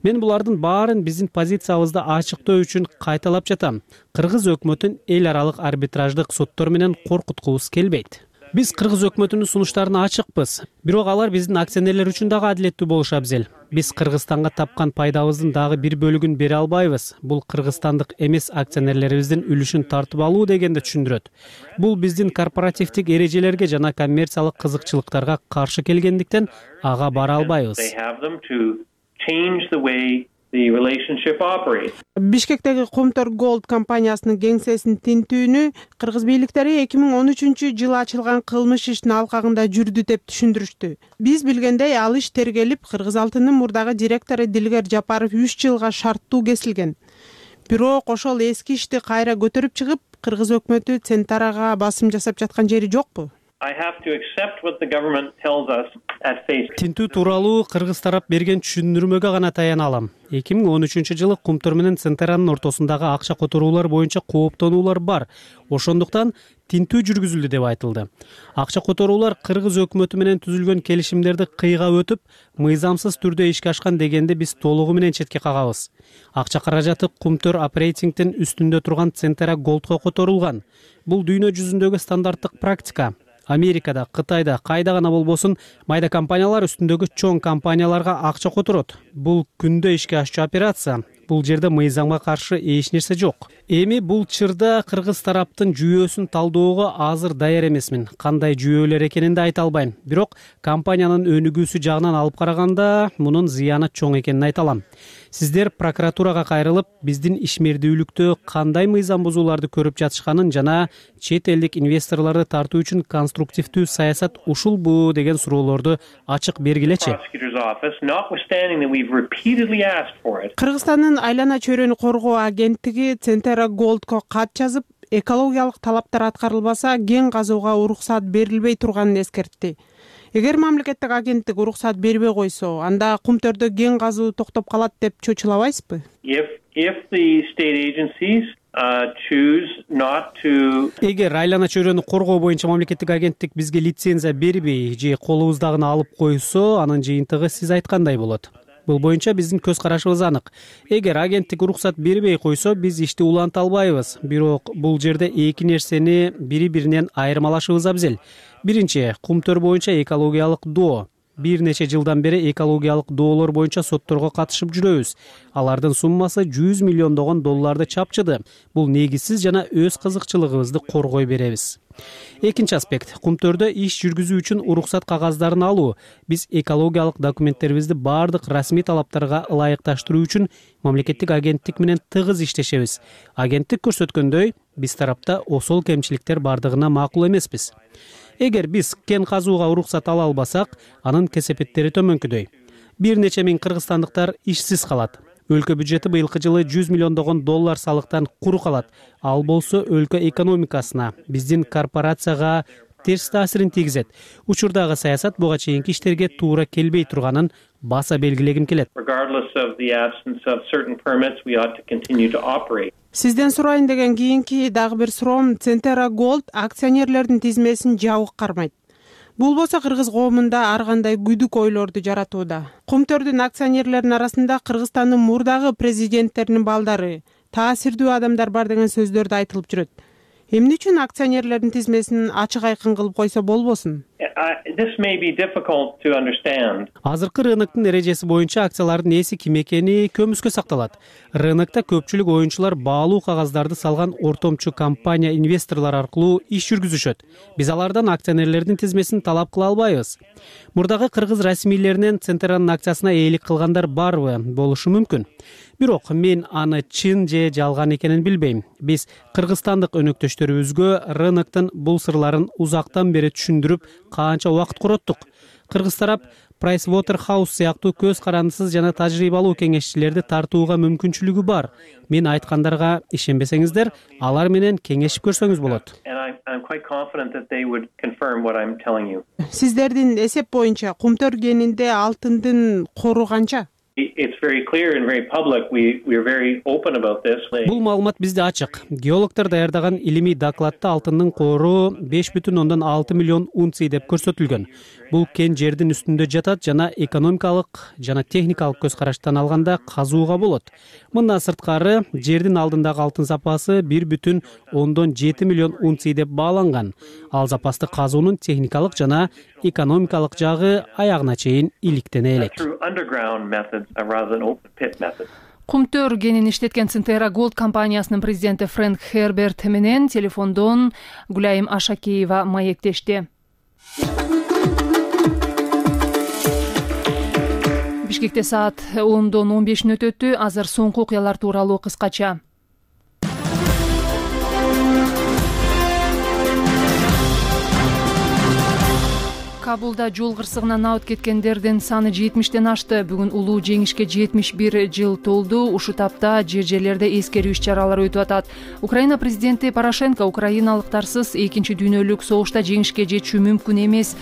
Мен булардын баарын биздин позициябызды ачыктоо үчүн кайталап жатам. Кыргыз өкмөтүн эл аралык арбитраждык соттор менен коркуткубуз келбейт. Биз Кыргыз өкмөтүнүн сунуштарына ачыкпыз. Бирок алар биздин акционерлер үчүн дагы адилеттүү болушу абзел. Биз Кыргызстанга тапкан пайдабыздын дагы бир бөлүгүн бере албайбыз. Бул кыргызстандык эмес акционерлерибиздин үлүшүн тартып алуу дегенди түшүндүрөт. Бул биздин корпоративдик эрежелерге жана коммерциялык кызыкчылыктарга каршы келгендиктен ага бара албайбыз. Бишкектеги Кумтөр Голд компаниясынын кеңсесин тинтүүнү кыргыз бийликтери эки миң он үчүнчү жылы ачылган кылмыш ишинин алкагында жүрдү деп түшүндүрүштү. Биз билгендей, ал иш тергелип, Кыргыз алтынын мурдагы директору Дилгер Жапаров үч жылга шарттуу кесилген. Бирок ошол эски ишти кайра көтөрүп чыгып, Кыргыз өкмөтү Центрага басым жасап жаткан жери жокпу? Тинтүү тууралуу Кыргыз тарап берген түшүндүрмөгө гана таяна алам. эки миң он үчүнчү жылы Кумтөр менен Центранын ортосундагы акча которуулар боюнча кооптонуулар бар. Ошондуктан тинтүү жүргүзүлдү деп айтылды. Акча которуулар Кыргыз өкмөтү менен түзүлгөн келишимдерди кыйга өтүп, мыйзамсыз түрдө ишке ашкан дегенди биз толугу менен четке кагабыз. Акча каражаты Кумтөр оперейтингдин үстүндө турган Центра Голдко которулган. Бул дүйнө жүзүндөгү стандарттык практика. Америкада, Кытайда, кайда гана болбосун, майда компаниялар үстүндөгү чоң компанияларга акча которот. Бул күндө ишке ашчу операция. Бул жерде мыйзамга каршы эч нерсе жок. Эми бул чырда Кыргыз тараптын жүйөсүн талдоого азыр даяр эмесмин. Кандай жүйөлөр экенин да айта албайм. Бирок компаниянын өнүгүүсү жагынан алып караганда мунун зыяны чоң экенин айта алам. Сиздер прокуратурага кайрылып, биздин ишмердүүлүктө кандай мыйзам бузууларды көрүп жатышканын жана чет элдик инвесторлорду тартуу үчүн конструктивдүү саясат ушулбу деген суроолорду ачык бергилечи. Кыргызстандын айлана чөйрөнү коргоо агенттиги Центра Голдко кат жазып, экологиялык талаптар аткарылбаса, кен казууга уруксат берилбей турганын эскертти. Эгер мамлекеттик агенттик уруксат бербей койсо, анда Кумтөрдө кен казуу токтоп калат деп чочулабайсызбы? Эгер айлана чөйрөнү коргоо боюнча мамлекеттик агенттик бизге лицензия бербей же колубуздагыны алып койсо, анын жыйынтыгы сиз айткандай болот. Бул боюнча биздин көз карашыбыз анык. Эгер агенттик уруксат бербей койсо, биз ишти уланта албайбыз. Бирок бул жерде эки нерсени бири-биринен айырмалашыбыз абзел. Биринчи, Кумтөр боюнча экологиялык доо. Бир нече жылдан бери экологиялык доолор боюнча сотторго катышып жүрөбүз. Алардын суммасы жүз миллиондогон долларды чапчыды. Бул негизсиз жана өз кызыкчылыгыбызды коргой беребиз. Экинчи аспект, Кумтөрдө иш жүргүзүү үчүн уруксат кагаздарын алуу. Биз экологиялык документтерибизди бардык расмий талаптарга ылайыкташтыруу үчүн мамлекеттик агенттик менен тыгыз иштешебиз. Агенттик көрсөткөндөй, биз тарапта осол кемчиликтер бардыгына макул эмеспиз. Эгер биз кен казууга уруксат ала албасак, анын кесепеттери төмөнкүдөй. Бир нече миң кыргызстандыктар ишсиз калат. өлкө бюджети быйылкы жылы жүз миллиондогон доллар салыктан куру калат. Ал болсо өлкө экономикасына, биздин корпорацияга терс таасирин тийгизет. Учурдагы саясат буга чейинки иштерге туура келбей турганын баса белгилегим келет. Сизден сурайын деген кийинки дагы бир суроом, Центера Gold акционерлердин тизмесин жабык кармайт. Бул болсо кыргыз коомунда ар кандай күдүк ойлорду жаратууда. Кумтөрдүн акционерлеринин арасында Кыргызстандын мурдагы президенттеринин балдары, таасирдүү адамдар бар деген сөздөр да айтылып жүрөт. Эмне үчүн акционерлердин тизмесин ачык айкын кылып койсо болбосун? Азыркы рыноктун эрежеси боюнча акциялардын ээси ким экени көмүскө сакталат. Рынокто көпчүлүк оюнчулар баалуу кагаздарды салган ортомчу компания инвесторлор аркылуу иш жүргүзүшөт. Биз алардан акционерлердин тизмесин талап кыла албайбыз. Мурдагы кыргыз расмийлеринен Центеранын акциясына ээлик кылгандар барбы? Болушу мүмкүн. Бирок мен аны чын же жалган экенин билбейм. Биз кыргызстандык өнөктөштөрүбүзгө рыноктун бул сырларын узактан бери түшүндүрүп, канча убакыт короттук. Кыргыз тарап Pricewaterhouse сыяктуу көз карандысыз жана тажрыйбалуу кеңешчилерди тартууга мүмкүнчүлүгү бар. Мен айткандарга ишенбесеңиздер, алар менен кеңешип көрсөңүз болот. Сиздердин эсеп боюнча Кумтөр кенинде алтындын кору канча? Бул маалымат бизде ачык. Геологдор даярдаган илимий докладта алтындын кору беш бүтүн ондон алты миллион унций деп көрсөтүлгөн. Бул кен жердин үстүндө жатат жана экономикалык жана техникалык көз караштан алганда казууга болот. Мындан сырткары жердин алдындагы алтын запасы бир бүтүн ондон жети миллион унций деп бааланган. Ал запасты казуунун техникалык жана экономикалык жагы аягына чейин иликтене элек. Кумтөр кенин иштеткен Центера Gold компаниясынын президенти Фрэнк Херберт менен телефондон Гүлайым Ашакеева маектешти. Бишкекте саат ондон он бешин өтөттү. Азыр соңку окуялар тууралуу кыскача. Кабулда жол кырсыгынан абыт кеткендердин саны жетимиштен ашты. Бүгүн улуу жеңишке жетимиш бир жыл толду. Ушу тапта жер жерлерде эскерүү иш-чаралары өтүп атат. Украина президенти Порошенко украиналыктарсыз экинчи дүйнөлүк согушта жеңишке жетүү мүмкүн эмес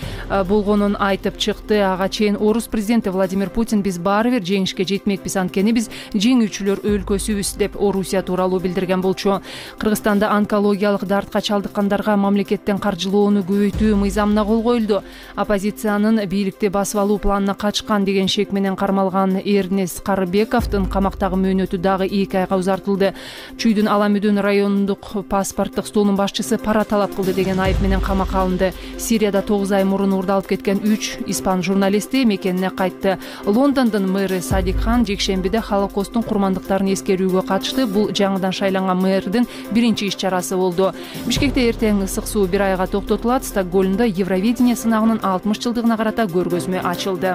болгонун айтып чыкты. Ага чейин орус президенти Владимир Путин биз баары бир жеңишке жетмекпиз, анткени биз жеңүүчүлөр өлкөсүбүз деп Орусия тууралуу билдирген болчу. Кыргызстанда онкологиялык дартка чалдыккандарга мамлекеттен каржылоону көбөйтүү мыйзамына кол коюлду. Оппозициянын бийликти басып алуу планына качкан деген шек менен кармалган Эрнест Карыбековдун камактагы мөөнөтү дагы эки айга узартылды. Чүйдүн Аламүдүн райондук паспорттук столунун башчысы пара талап кылды деген айып менен камакка алынды. Сирияда тогуз ай мурун урдалып кеткен үч испан журналисти мекенине кайтты. Лондондун мэры Садик Хан жекшембиде Холокосттун курмандыктарын эскерүүгө катышты. Бул жаңыдан шайланган мэрдин биринчи иш-чарасы болду. Бишкекте эртең ысык суу бир айга токтотулат. Стокгольмдо Евровидение сынагынын алтымыш жылдыгына карата көргөзмө ачылды.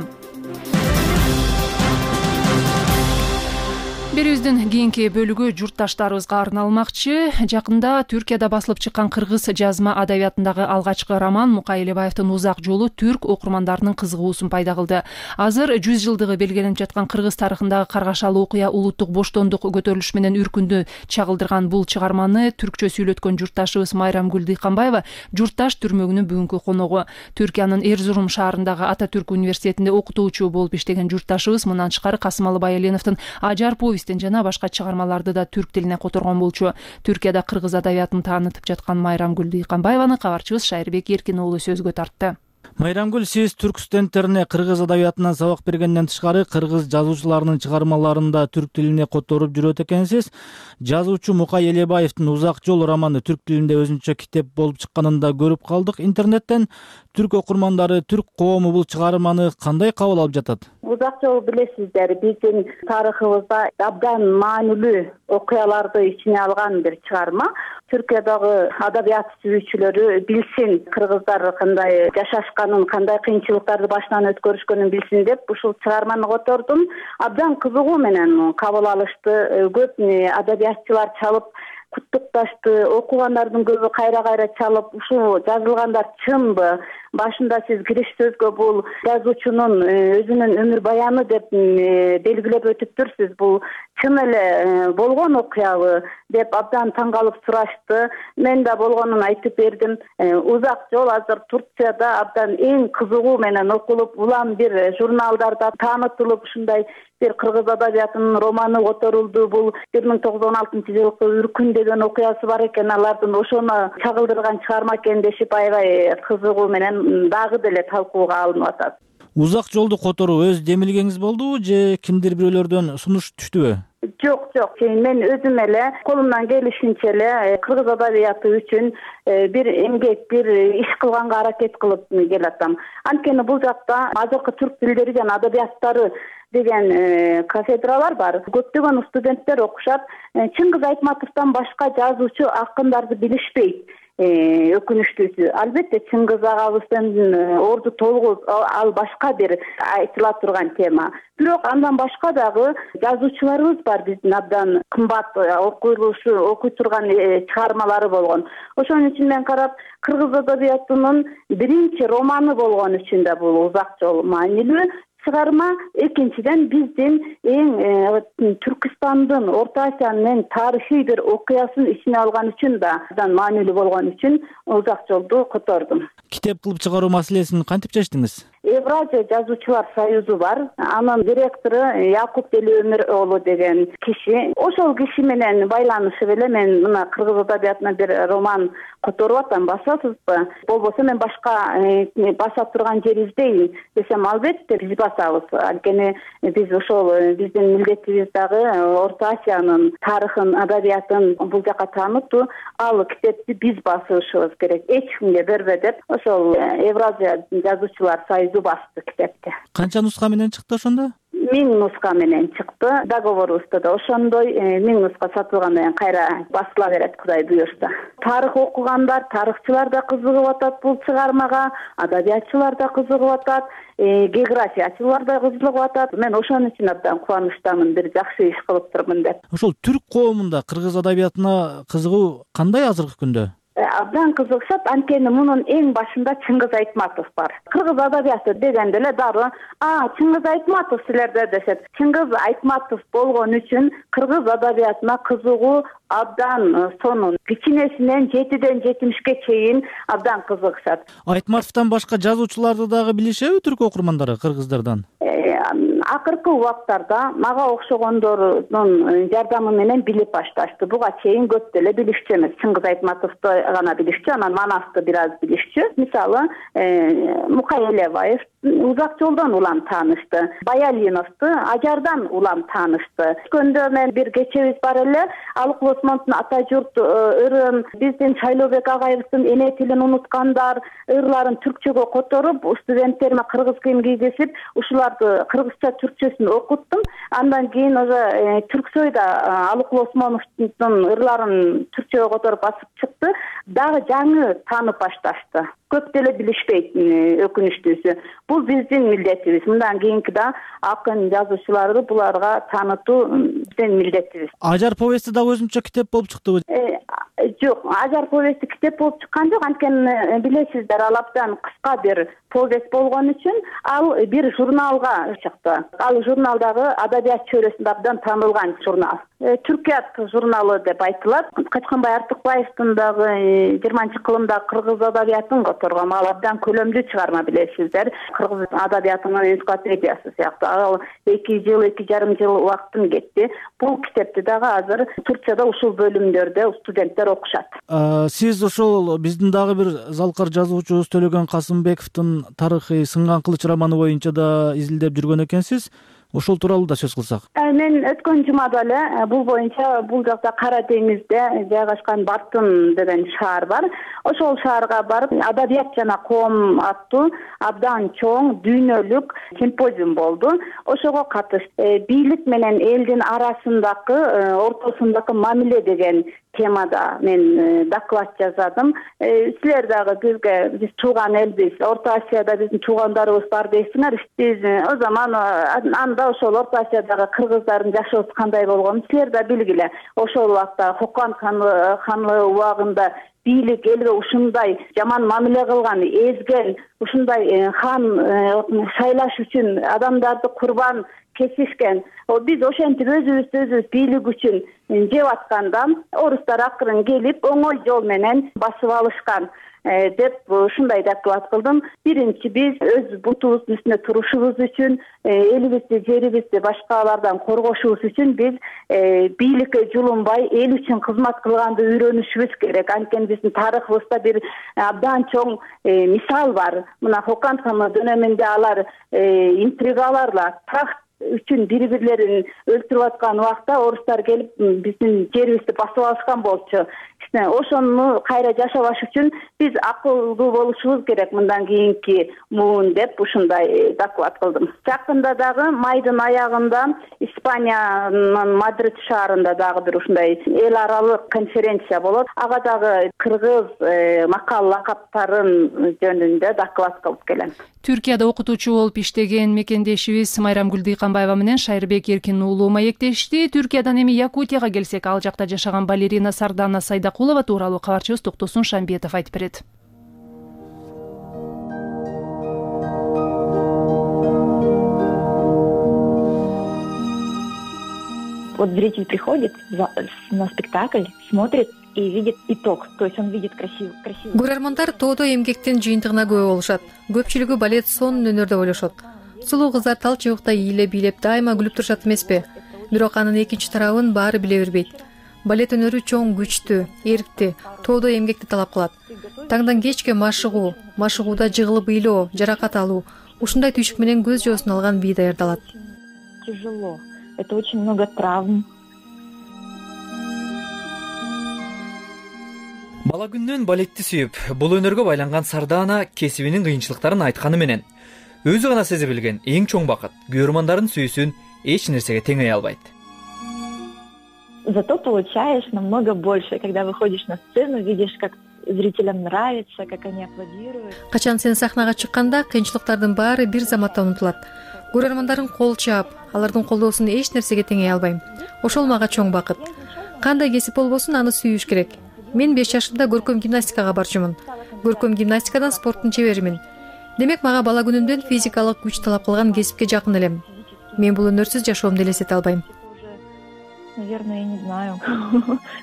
Берүүбүздүн кийинки бөлүгү журтташтарыбызга арналмакчы. Жакында Түркияда басылып чыккан кыргыз жазма адабиятындагы алгачкы роман Мукай Элебаевдин Узак жолу түрк окурмандарынын кызыгуусун пайда кылды. Азыр жүз жылдыгы белгиленип жаткан кыргыз тарыхындагы каргашалуу окуя улуттук боштондук көтөрүлүш менен үркүндү чагылдырган бул чыгарманы түркчө сүйлөткөн журтташыбыз Майрамгүл Дыйканбаева журтташ түрмөгүнүн бүгүнкү коногу. Түркиянын Эрзурум шаарындагы Ата Түрк университетинде окутуучу болуп иштеген журтташыбыз мындан тышкары Касымалы Байаленовдун Ажар повесть жана башка чыгармаларды да түрк тилине которгон болчу. Түркияда кыргыз адабиятын таанытып жаткан Майрамгүл Дыйканбаеваны кабарчыбыз Шайырбек Эркин уулу сөзгө тартты. Майрамгүл, сиз түрк студенттерине кыргыз адабиятынан сабак бергенден тышкары кыргыз жазуучуларынын чыгармаларын да түрк тилине которуп жүрөт экенсиз. Жазуучу Мукай Элебаевдин Узак жол романы түрк тилинде өзүнчө китеп болуп чыкканын да көрүп калдык интернеттен. Түрк окурмандары, түрк коому бул чыгарманы кандай кабыл алып жатат? Узак жол билесиздер, биздин тарыхыбызда абдан маанилүү окуяларды ичине алган бир чыгарма. Түркиядагы адабият сүйүүчүлөрү билсин, кыргыздар кандай жашашканын, кандай кыйынчылыктарды башынан өткөрүшкөнүн билсин деп ушул чыгарманы котордум. Абдан кызыгуу менен кабыл алышты. Көп адабиятчылар чалып куттукташты. Окугандардын көбү кайра кайра чалып, ушул жазылгандар чынбы? Башында сиз кириш сөзгө бул жазуучунун өзүнүн өмүр баяны деп белгилеп өтүптүрсүз. Бул чын эле болгон окуябы деп абдан таң калып сурашты. Мен да болгонун айтып бердим. Узак жол азыр Турцияда абдан эң кызыгуу менен окулуп, улам бир журналдарда таанытылып, ушундай бир кыргыз адабиятынын романы которулду. Бул бир миң тогуз жүз он алтынчы жылкы Үркүн деген окуясы бар экен. Алардын ошону чагылдырган чыгарма экен дешип аябай кызыгуу менен дагы деле талкууга алынып атат. Узак жолду которуу өз демилгеңиз болдубу же кимдир бирөөлөрдөн сунуш түштүбү? Жок, жок. Мен өзүм эле колумдан келишинче эле кыргыз адабияты үчүн бир эмгек, бир иш кылганга аракет кылып келатам. Анткени бул жакта азыркы түрк тилдери жана адабияттары деген кафедралар бар. Көптөгөн студенттер окушат. Чыңгыз Айтматовдон башка жазуучу, акындарды билишпейт. Өкүнүчтүүсү. Албетте Чыңгыз агабыздын орду толугу ал башка бир айтыла турган тема. Бирок андан башка дагы жазуучуларыбыз бар, биздин абдан кымбат окуйлушу, окуй турган чыгармалары болгон. Ошон үчүн мен карап, кыргыз адабиятынын биринчи романы болгон үчүн да бул узак жол маанилүү чыгарма. Экинчиден биздин эң Түркистандын, Орто Азиянын тарыхый бир окуясын ичине алган үчүн да абдан маанилүү болгон үчүн узак жолду котордум. Китеп кылып чыгаруу маселесин кантип чечтиңиз? Евразия жазуучулар союзу бар. Анын директору Якуп Делиөмүр уулу деген киши. Ошол киши менен байланышып эле мен мына кыргыз адабиятына бир роман которуп атам. Басасызбы? Болбосо мен башка баса турган жер издейин десем, албетте биз басабыз. Анткени биз ошол биздин милдетибиз дагы Орто Азиянын тарыхын, адабиятын бул жака таанытуу. Ал китепти биз басышыбыз керек. Эч кимге бербе деп ошол Евразия жазуучулар союзу басты китепти. Канча нуска менен чыкты ошондо? Миң нуска менен чыкты. Договорубузда да ошондой миң нуска сатылгандан кийин кайра басыла берет, Кудай буюрса. Тарых окугандар, тарыхчылар да кызыгып атат бул чыгармага, адабиятчылар да кызыгып атат, географиячылар да кызыгып атат. Мен ошон үчүн абдан кубанычтамын, бир жакшы иш кылыптырмын деп. Ошол түрк коомунда кыргыз адабиятына кызыгуу кандай азыркы күндө? Абдан кызыкышат. Анткени мунун эң башында Чыңгыз Айтматов бар. Кыргыз адабияты дегенде эле дары а Чыңгыз Айтматов силерде дешет. Чыңгыз Айтматов болгон үчүн кыргыз адабиятына кызыгуу абдан сонун кичинесинен жетиден жетимишке чейин абдан кызыкышат. Айтматовдон башка жазуучуларды дагы билишеби түрк окурмандары кыргыздардан? Акыркы убактарда мага окшогондордун жардамы менен билип башташты. Буга чейин көп деле билишчү эмес. Чыңгыз Айтматовду гана билишчү, анан Манасты бир аз билишчү. Мисалы, Мукай Элебаев узак жолдон улам таанышты. Баялиновду Ажардан улам таанышты. Өткөндө мен бир кечебиз бар эле, Алыкул Осмоновдун ата журт ырын, биздин Шайлообек агайыбыздын эне тилин унуткандар ырларын түркчөгө которуп, студенттериме кыргыз кийим кийгизип, ушуларды кыргызча түркчөсүн окуттум. Андан кийин уже Түрксойда Алыкул Осмоновдун ырларын түркчөгө которуп басып чыкты. Дагы жаңы таанып башташты. Көп деле билишпейт, өкүнүчтүүсү. Бул биздин милдетибиз. Мындан кийинки да акын жазуучуларды буларга таанытуу биздин милдетибиз. Ажар повести дагы өзүнчө китеп болуп чыктыбы? Жок, Ажар повести китеп болуп чыккан жок. Анткени билесиздер, ал абдан кыска бир повест болгон үчүн ал бир журналга чыкты. Ал журналдагы адабият чөйрөсүндө абдан таанылган журнал. Түркият журналы деп айтылат. Качканбай Артыкбаевдин дагы жыйырманчы кылымда кыргыз адабиятын которгон, ал абдан көлөмдүү чыгарма, билесиздер. Кыргыз адабиятынын энциклопедиясы сыяктуу. Ал эки жыл, эки жарым жыл убактын кетти. Бул китепти дагы азыр Турцияда ушул бөлүмдөрдө студенттер окушат. Сиз ошол биздин дагы бир залкар жазуучубуз Төлөгөн Касымбековдун тарыхый Сынган кылыч романы боюнча да изилдеп жүргөн экенсиз. Ошол тууралуу да сөз кылсак. Мен өткөн жумада эле бул боюнча бул жакта Кара деңизде жайгашкан Бартын деген шаар бар. Ошол шаарга барып, адабият жана коом аттуу абдан чоң дүйнөлүк симпозиум болду. Ошого катыштым. Бийлик менен элдин арасындагы, ортосундагы мамиле деген темада мен доклад жаздым. Силер дагы бизге биз тууган элбиз, Орто Азияда биздин туугандарыбыз бар дейсиңер. Биз о заман анда ошол Орто Азиядагы кыргыздардын жашоосу кандай болгонун силер да билгиле. Ошол убакта Хокон ханлыгы убагында бийлик элге ушундай жаман мамиле кылган, эзген, ушундай хан шайлаш үчүн адамдарды курбан кесишкен. Биз ошентип өзүбүздү өзүбүз бийлик үчүн жеп атканда орустар акырын келип оңой жол менен басып алышкан деп ушундай доклад кылдым. Биринчи биз өз бутубуздун үстүнө турушубуз үчүн, элибизди, жерибизди башкалардан коргошубуз үчүн биз бийликке жулунбай эл үчүн кызмат кылганды үйрөнүшүбүз керек. Анткени биздин тарыхыбызда бир абдан чоң мисал бар. Мына Хокон ханлыгы дөнөмүндө алар интригаларла такт үчүн бири-бирлерин өлтүрүп аткан убакта орустар келип биздин жерибизди басып алышкан болчу. Ошону кайра жашабаш үчүн биз акылдуу болушубуз керек мындан кийинки муун деп ушундай доклад кылдым. Жакында дагы майдын аягында Испаниянын Мадрид шаарында дагы бир ушундай эл аралык конференция болот. Ага дагы кыргыз макал лакаптарын жөнүндө доклад кылып келем. Түркияда окутуучу болуп иштеген мекендешибиз Майрамгүл Дыйканбаева менен Шайырбек Эркин уулу маектешти. Түркиядан эми Якутияга келсек, ал жакта жашаган балерина Сардана Сайдакулова тууралуу кабарчыбыз Токтосун Шамбетов айтып берет. Вот зритель приходит на спектакль, смотрит и видит итог, то есть он видит красивый красивый. Көрөрмандар тоодо эмгектин жыйынтыгына күбө болушат. Көпчүлүгү балет сонун өнөр деп ойлошот. Сулуу кыздар тал чыбыкта ийиле бийлеп дайыма күлүп турушат эмеспи? Бирок анын экинчи тарабын баары биле бербейт. Балет өнөрү чоң, күчтүү, эрктүү, тоодо эмгекти талап кылат. Таңдан кечке машыгуу, машыгууда жыгылып ыйлоо, жаракат алуу, ушундай түйшүк менен көз жоосун алган бий даярдалат. Тяжело. Это очень много травм. Бала күнүнөн балетти сүйүп, бул өнөргө байланган Сардана кесибинин кыйынчылыктарын айтканы менен өзү гана сезе билген эң чоң бакыт көрөрмандардын сүйүүсүн эч нерсеге теңей албайт. Зато получаешь намного больше, когда выходишь на сцену, видишь, как зрителям нравится, как они аплодируют. Качан сен сахнага чыкканда кыйынчылыктардын баары бир заматта унутулат. Көрөрмандардын кол чаап, алардын колдоосун эч нерсеге теңей албайм. Ошол мага чоң бакыт. Кандай кесип болбосун аны сүйүш керек. Мен беш жашымда көркөм гимнастикага барчумун. Көркөм гимнастикадан спорттун чеберимин. Демек мага бала күнүмдөн физикалык күч талап кылган кесипке жакын элем. Мен бул өнөрсүз жашоомду элестете албайм. Наверное, я не знаю.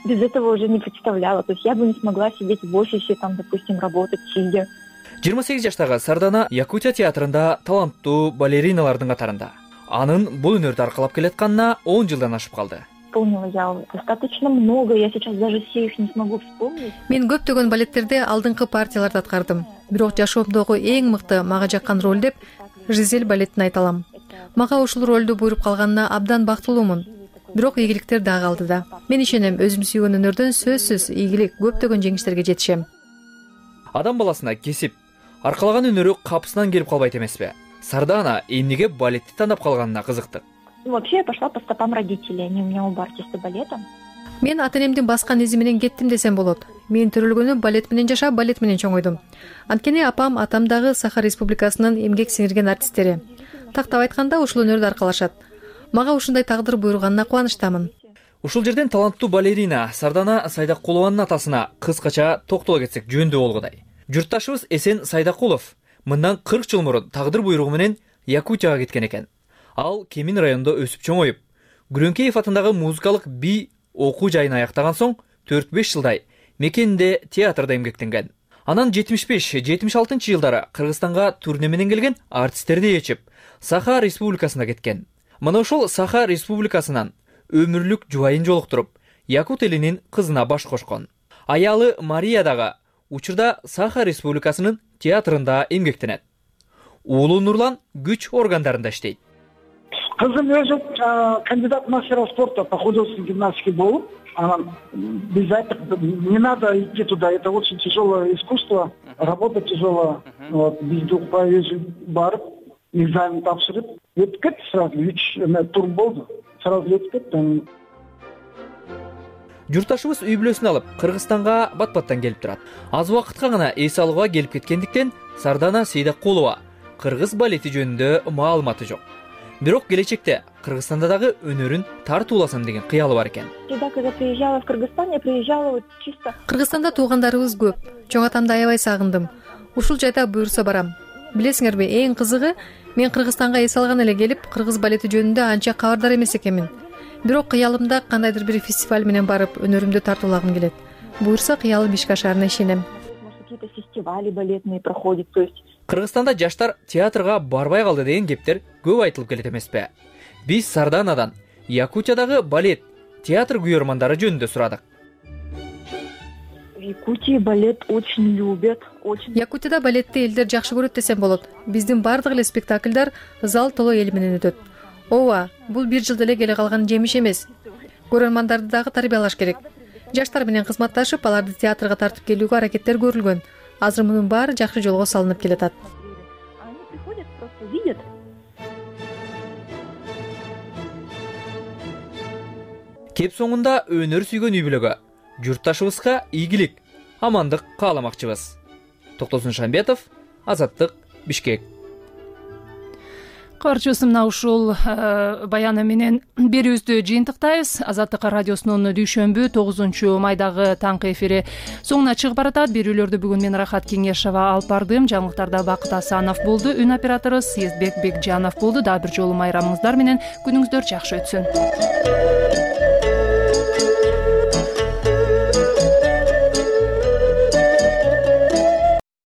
Без этого уже не представляла. То есть я бы не смогла сидеть в офисе, там, допустим, работать сидя. жыйырма сегиз жаштагы Сардана Якутия театрында таланттуу балериналардын катарында. Анын бул өнөрдү аркалап келатканына он жылдан ашып калды. Исполнила я достаточно много, я сейчас даже все их не смогу вспомнить. Мен көптөгөн балеттерде алдыңкы партияларды аткардым. Бирок жашоомдогу эң мыкты мага жаккан роль деп Жизель балетин айта алам. Мага ушул ролду буйруп калганына абдан бактылуумун. Бирок ийгиликтер да калды да. Мен ишенем, өзүм сүйгөн өнөрдөн сөзсүз ийгилик, көптөгөн жеңиштерге жетишем. Адам баласына кесип, аркалаган өнөрү капысынан келип калбайт эмеспи? Сардана эмнеге балетти тандап калганына кызыктык. Вообще я пошла по стопам родителей, они у меня оба артисты балета. Мен ата-энемдин баскан изи менен кеттим десем болот. Мен төрөлгөнү балет менен жашап, балет менен чоңойдум. Анткени апам, атам дагы Саха Республикасынын эмгек сиңирген артисттери. Тактап айтканда ушул өнөрдү аркалашат. Мага ушундай тагдыр буйруганына кубанычтамын. Ушул жерден таланттуу балерина Сардана Сайдакулованын атасына кыскача токтоло кетсек жөндүү болгудай. Журтташыбыз Эсен Сайдакулов мындан кырк жыл мурун тагдыр буйругу менен Якутияга кеткен экен. Ал Кемин районунда өсүп чоңоюп, Күрөңкеев атындагы музыкалык бий окуу жайын аяктаган соң төрт беш жылдай мекенинде театрда эмгектенген. Анан жетимиш беш жетимиш алтынчы жылдары Кыргызстанга турне менен келген артисттерди ээрчип, Саха Республикасына кеткен. Мына ошол Саха Республикасынан өмүрлүк жубайын жолуктуруп, якут элинин кызына баш кошкон. Аялы Мария дагы учурда Саха Республикасынын театрында эмгектенет. Уулу Нурлан күч органдарында иштейт. Кызым өзү кандидат мастера спорта по художественной гимнастике болуп, анан биз айттык, не надо идти туда, это очень тяжелое искусство, работа тяжелая. Вот, биз укпай өзү барып, экзамен тапшырып, өтүп кетти сразу, үч тур болду. Сразу өтүп кетти. журтташыбыз үй бүлөсүн алып Кыргызстанга бат баттан келип турат. Аз убакытка гана эс алууга келип кеткендиктен Сардана Сейдакулова кыргыз балети жөнүндө маалыматы жок. Бирок келечекте Кыргызстанда дагы өнөрүн тартууласам деген кыялы бар экен. Всегда, когда приезжала в Кыргызстан, я приезжала вот чисто. Кыргызстанда туугандарыбыз көп. Чоң атамды аябай сагындым. Ушул жайда буюрса барам. Билесиңерби, эң кызыгы, мен Кыргызстанга эс алган эле келип, кыргыз балети жөнүндө анча кабардар эмес экенмин. Бирок кыялымда кандайдыр бир фестиваль менен барып, өнөрүмдү тартуулагым келет. Буюрса кыялым ишке ашаарына ишенем. Какие-то фестивали балетные проходят, то есть. Кыргызстанда жаштар театрга барбай калды деген кептер көп айтылып келет эмеспи? Биз Сарданадан Якутиядагы балет театр күйөрмандары жөнүндө сурадык. В Якутии балет очень любят, очень. Якутияда балетти элдер жакшы көрөт десем болот. Биздин бардык эле спектакльдар зал толо эл менен өтөт. Ооба, бул бир жылда эле келе калган жемиш эмес. Көрөрмандарды дагы тарбиялаш керек. Жаштар менен кызматташып, аларды театрга тартып келүүгө аракеттер көрүлгөн. Азыр мунун баары жакшы жолго салынып келатат. Они приходят, просто видят. Кеп соңунда өнөр сүйгөн үй бүлөгө, журтташыбызга ийгилик, амандык кааламакчыбыз. Токтосун Шамбетов, Азаттык, Бишкек. Кабарчыбыз мына ушул баяны менен берүүбүздү жыйынтыктайбыз. Азаттык радиосунун дүйшөмбү тогузунчу майдагы таңкы эфири соңуна чыгып баратат. Берүүлөрдү бүгүн мен Рахат Кеңешова алып бардым. Жаңылыктарда Бакыт Асанов болду. Үн оператору Съездбек Бекжанов болду. Дагы бир жолу майрамыңыздар менен күнүңүздөр жакшы өтсүн.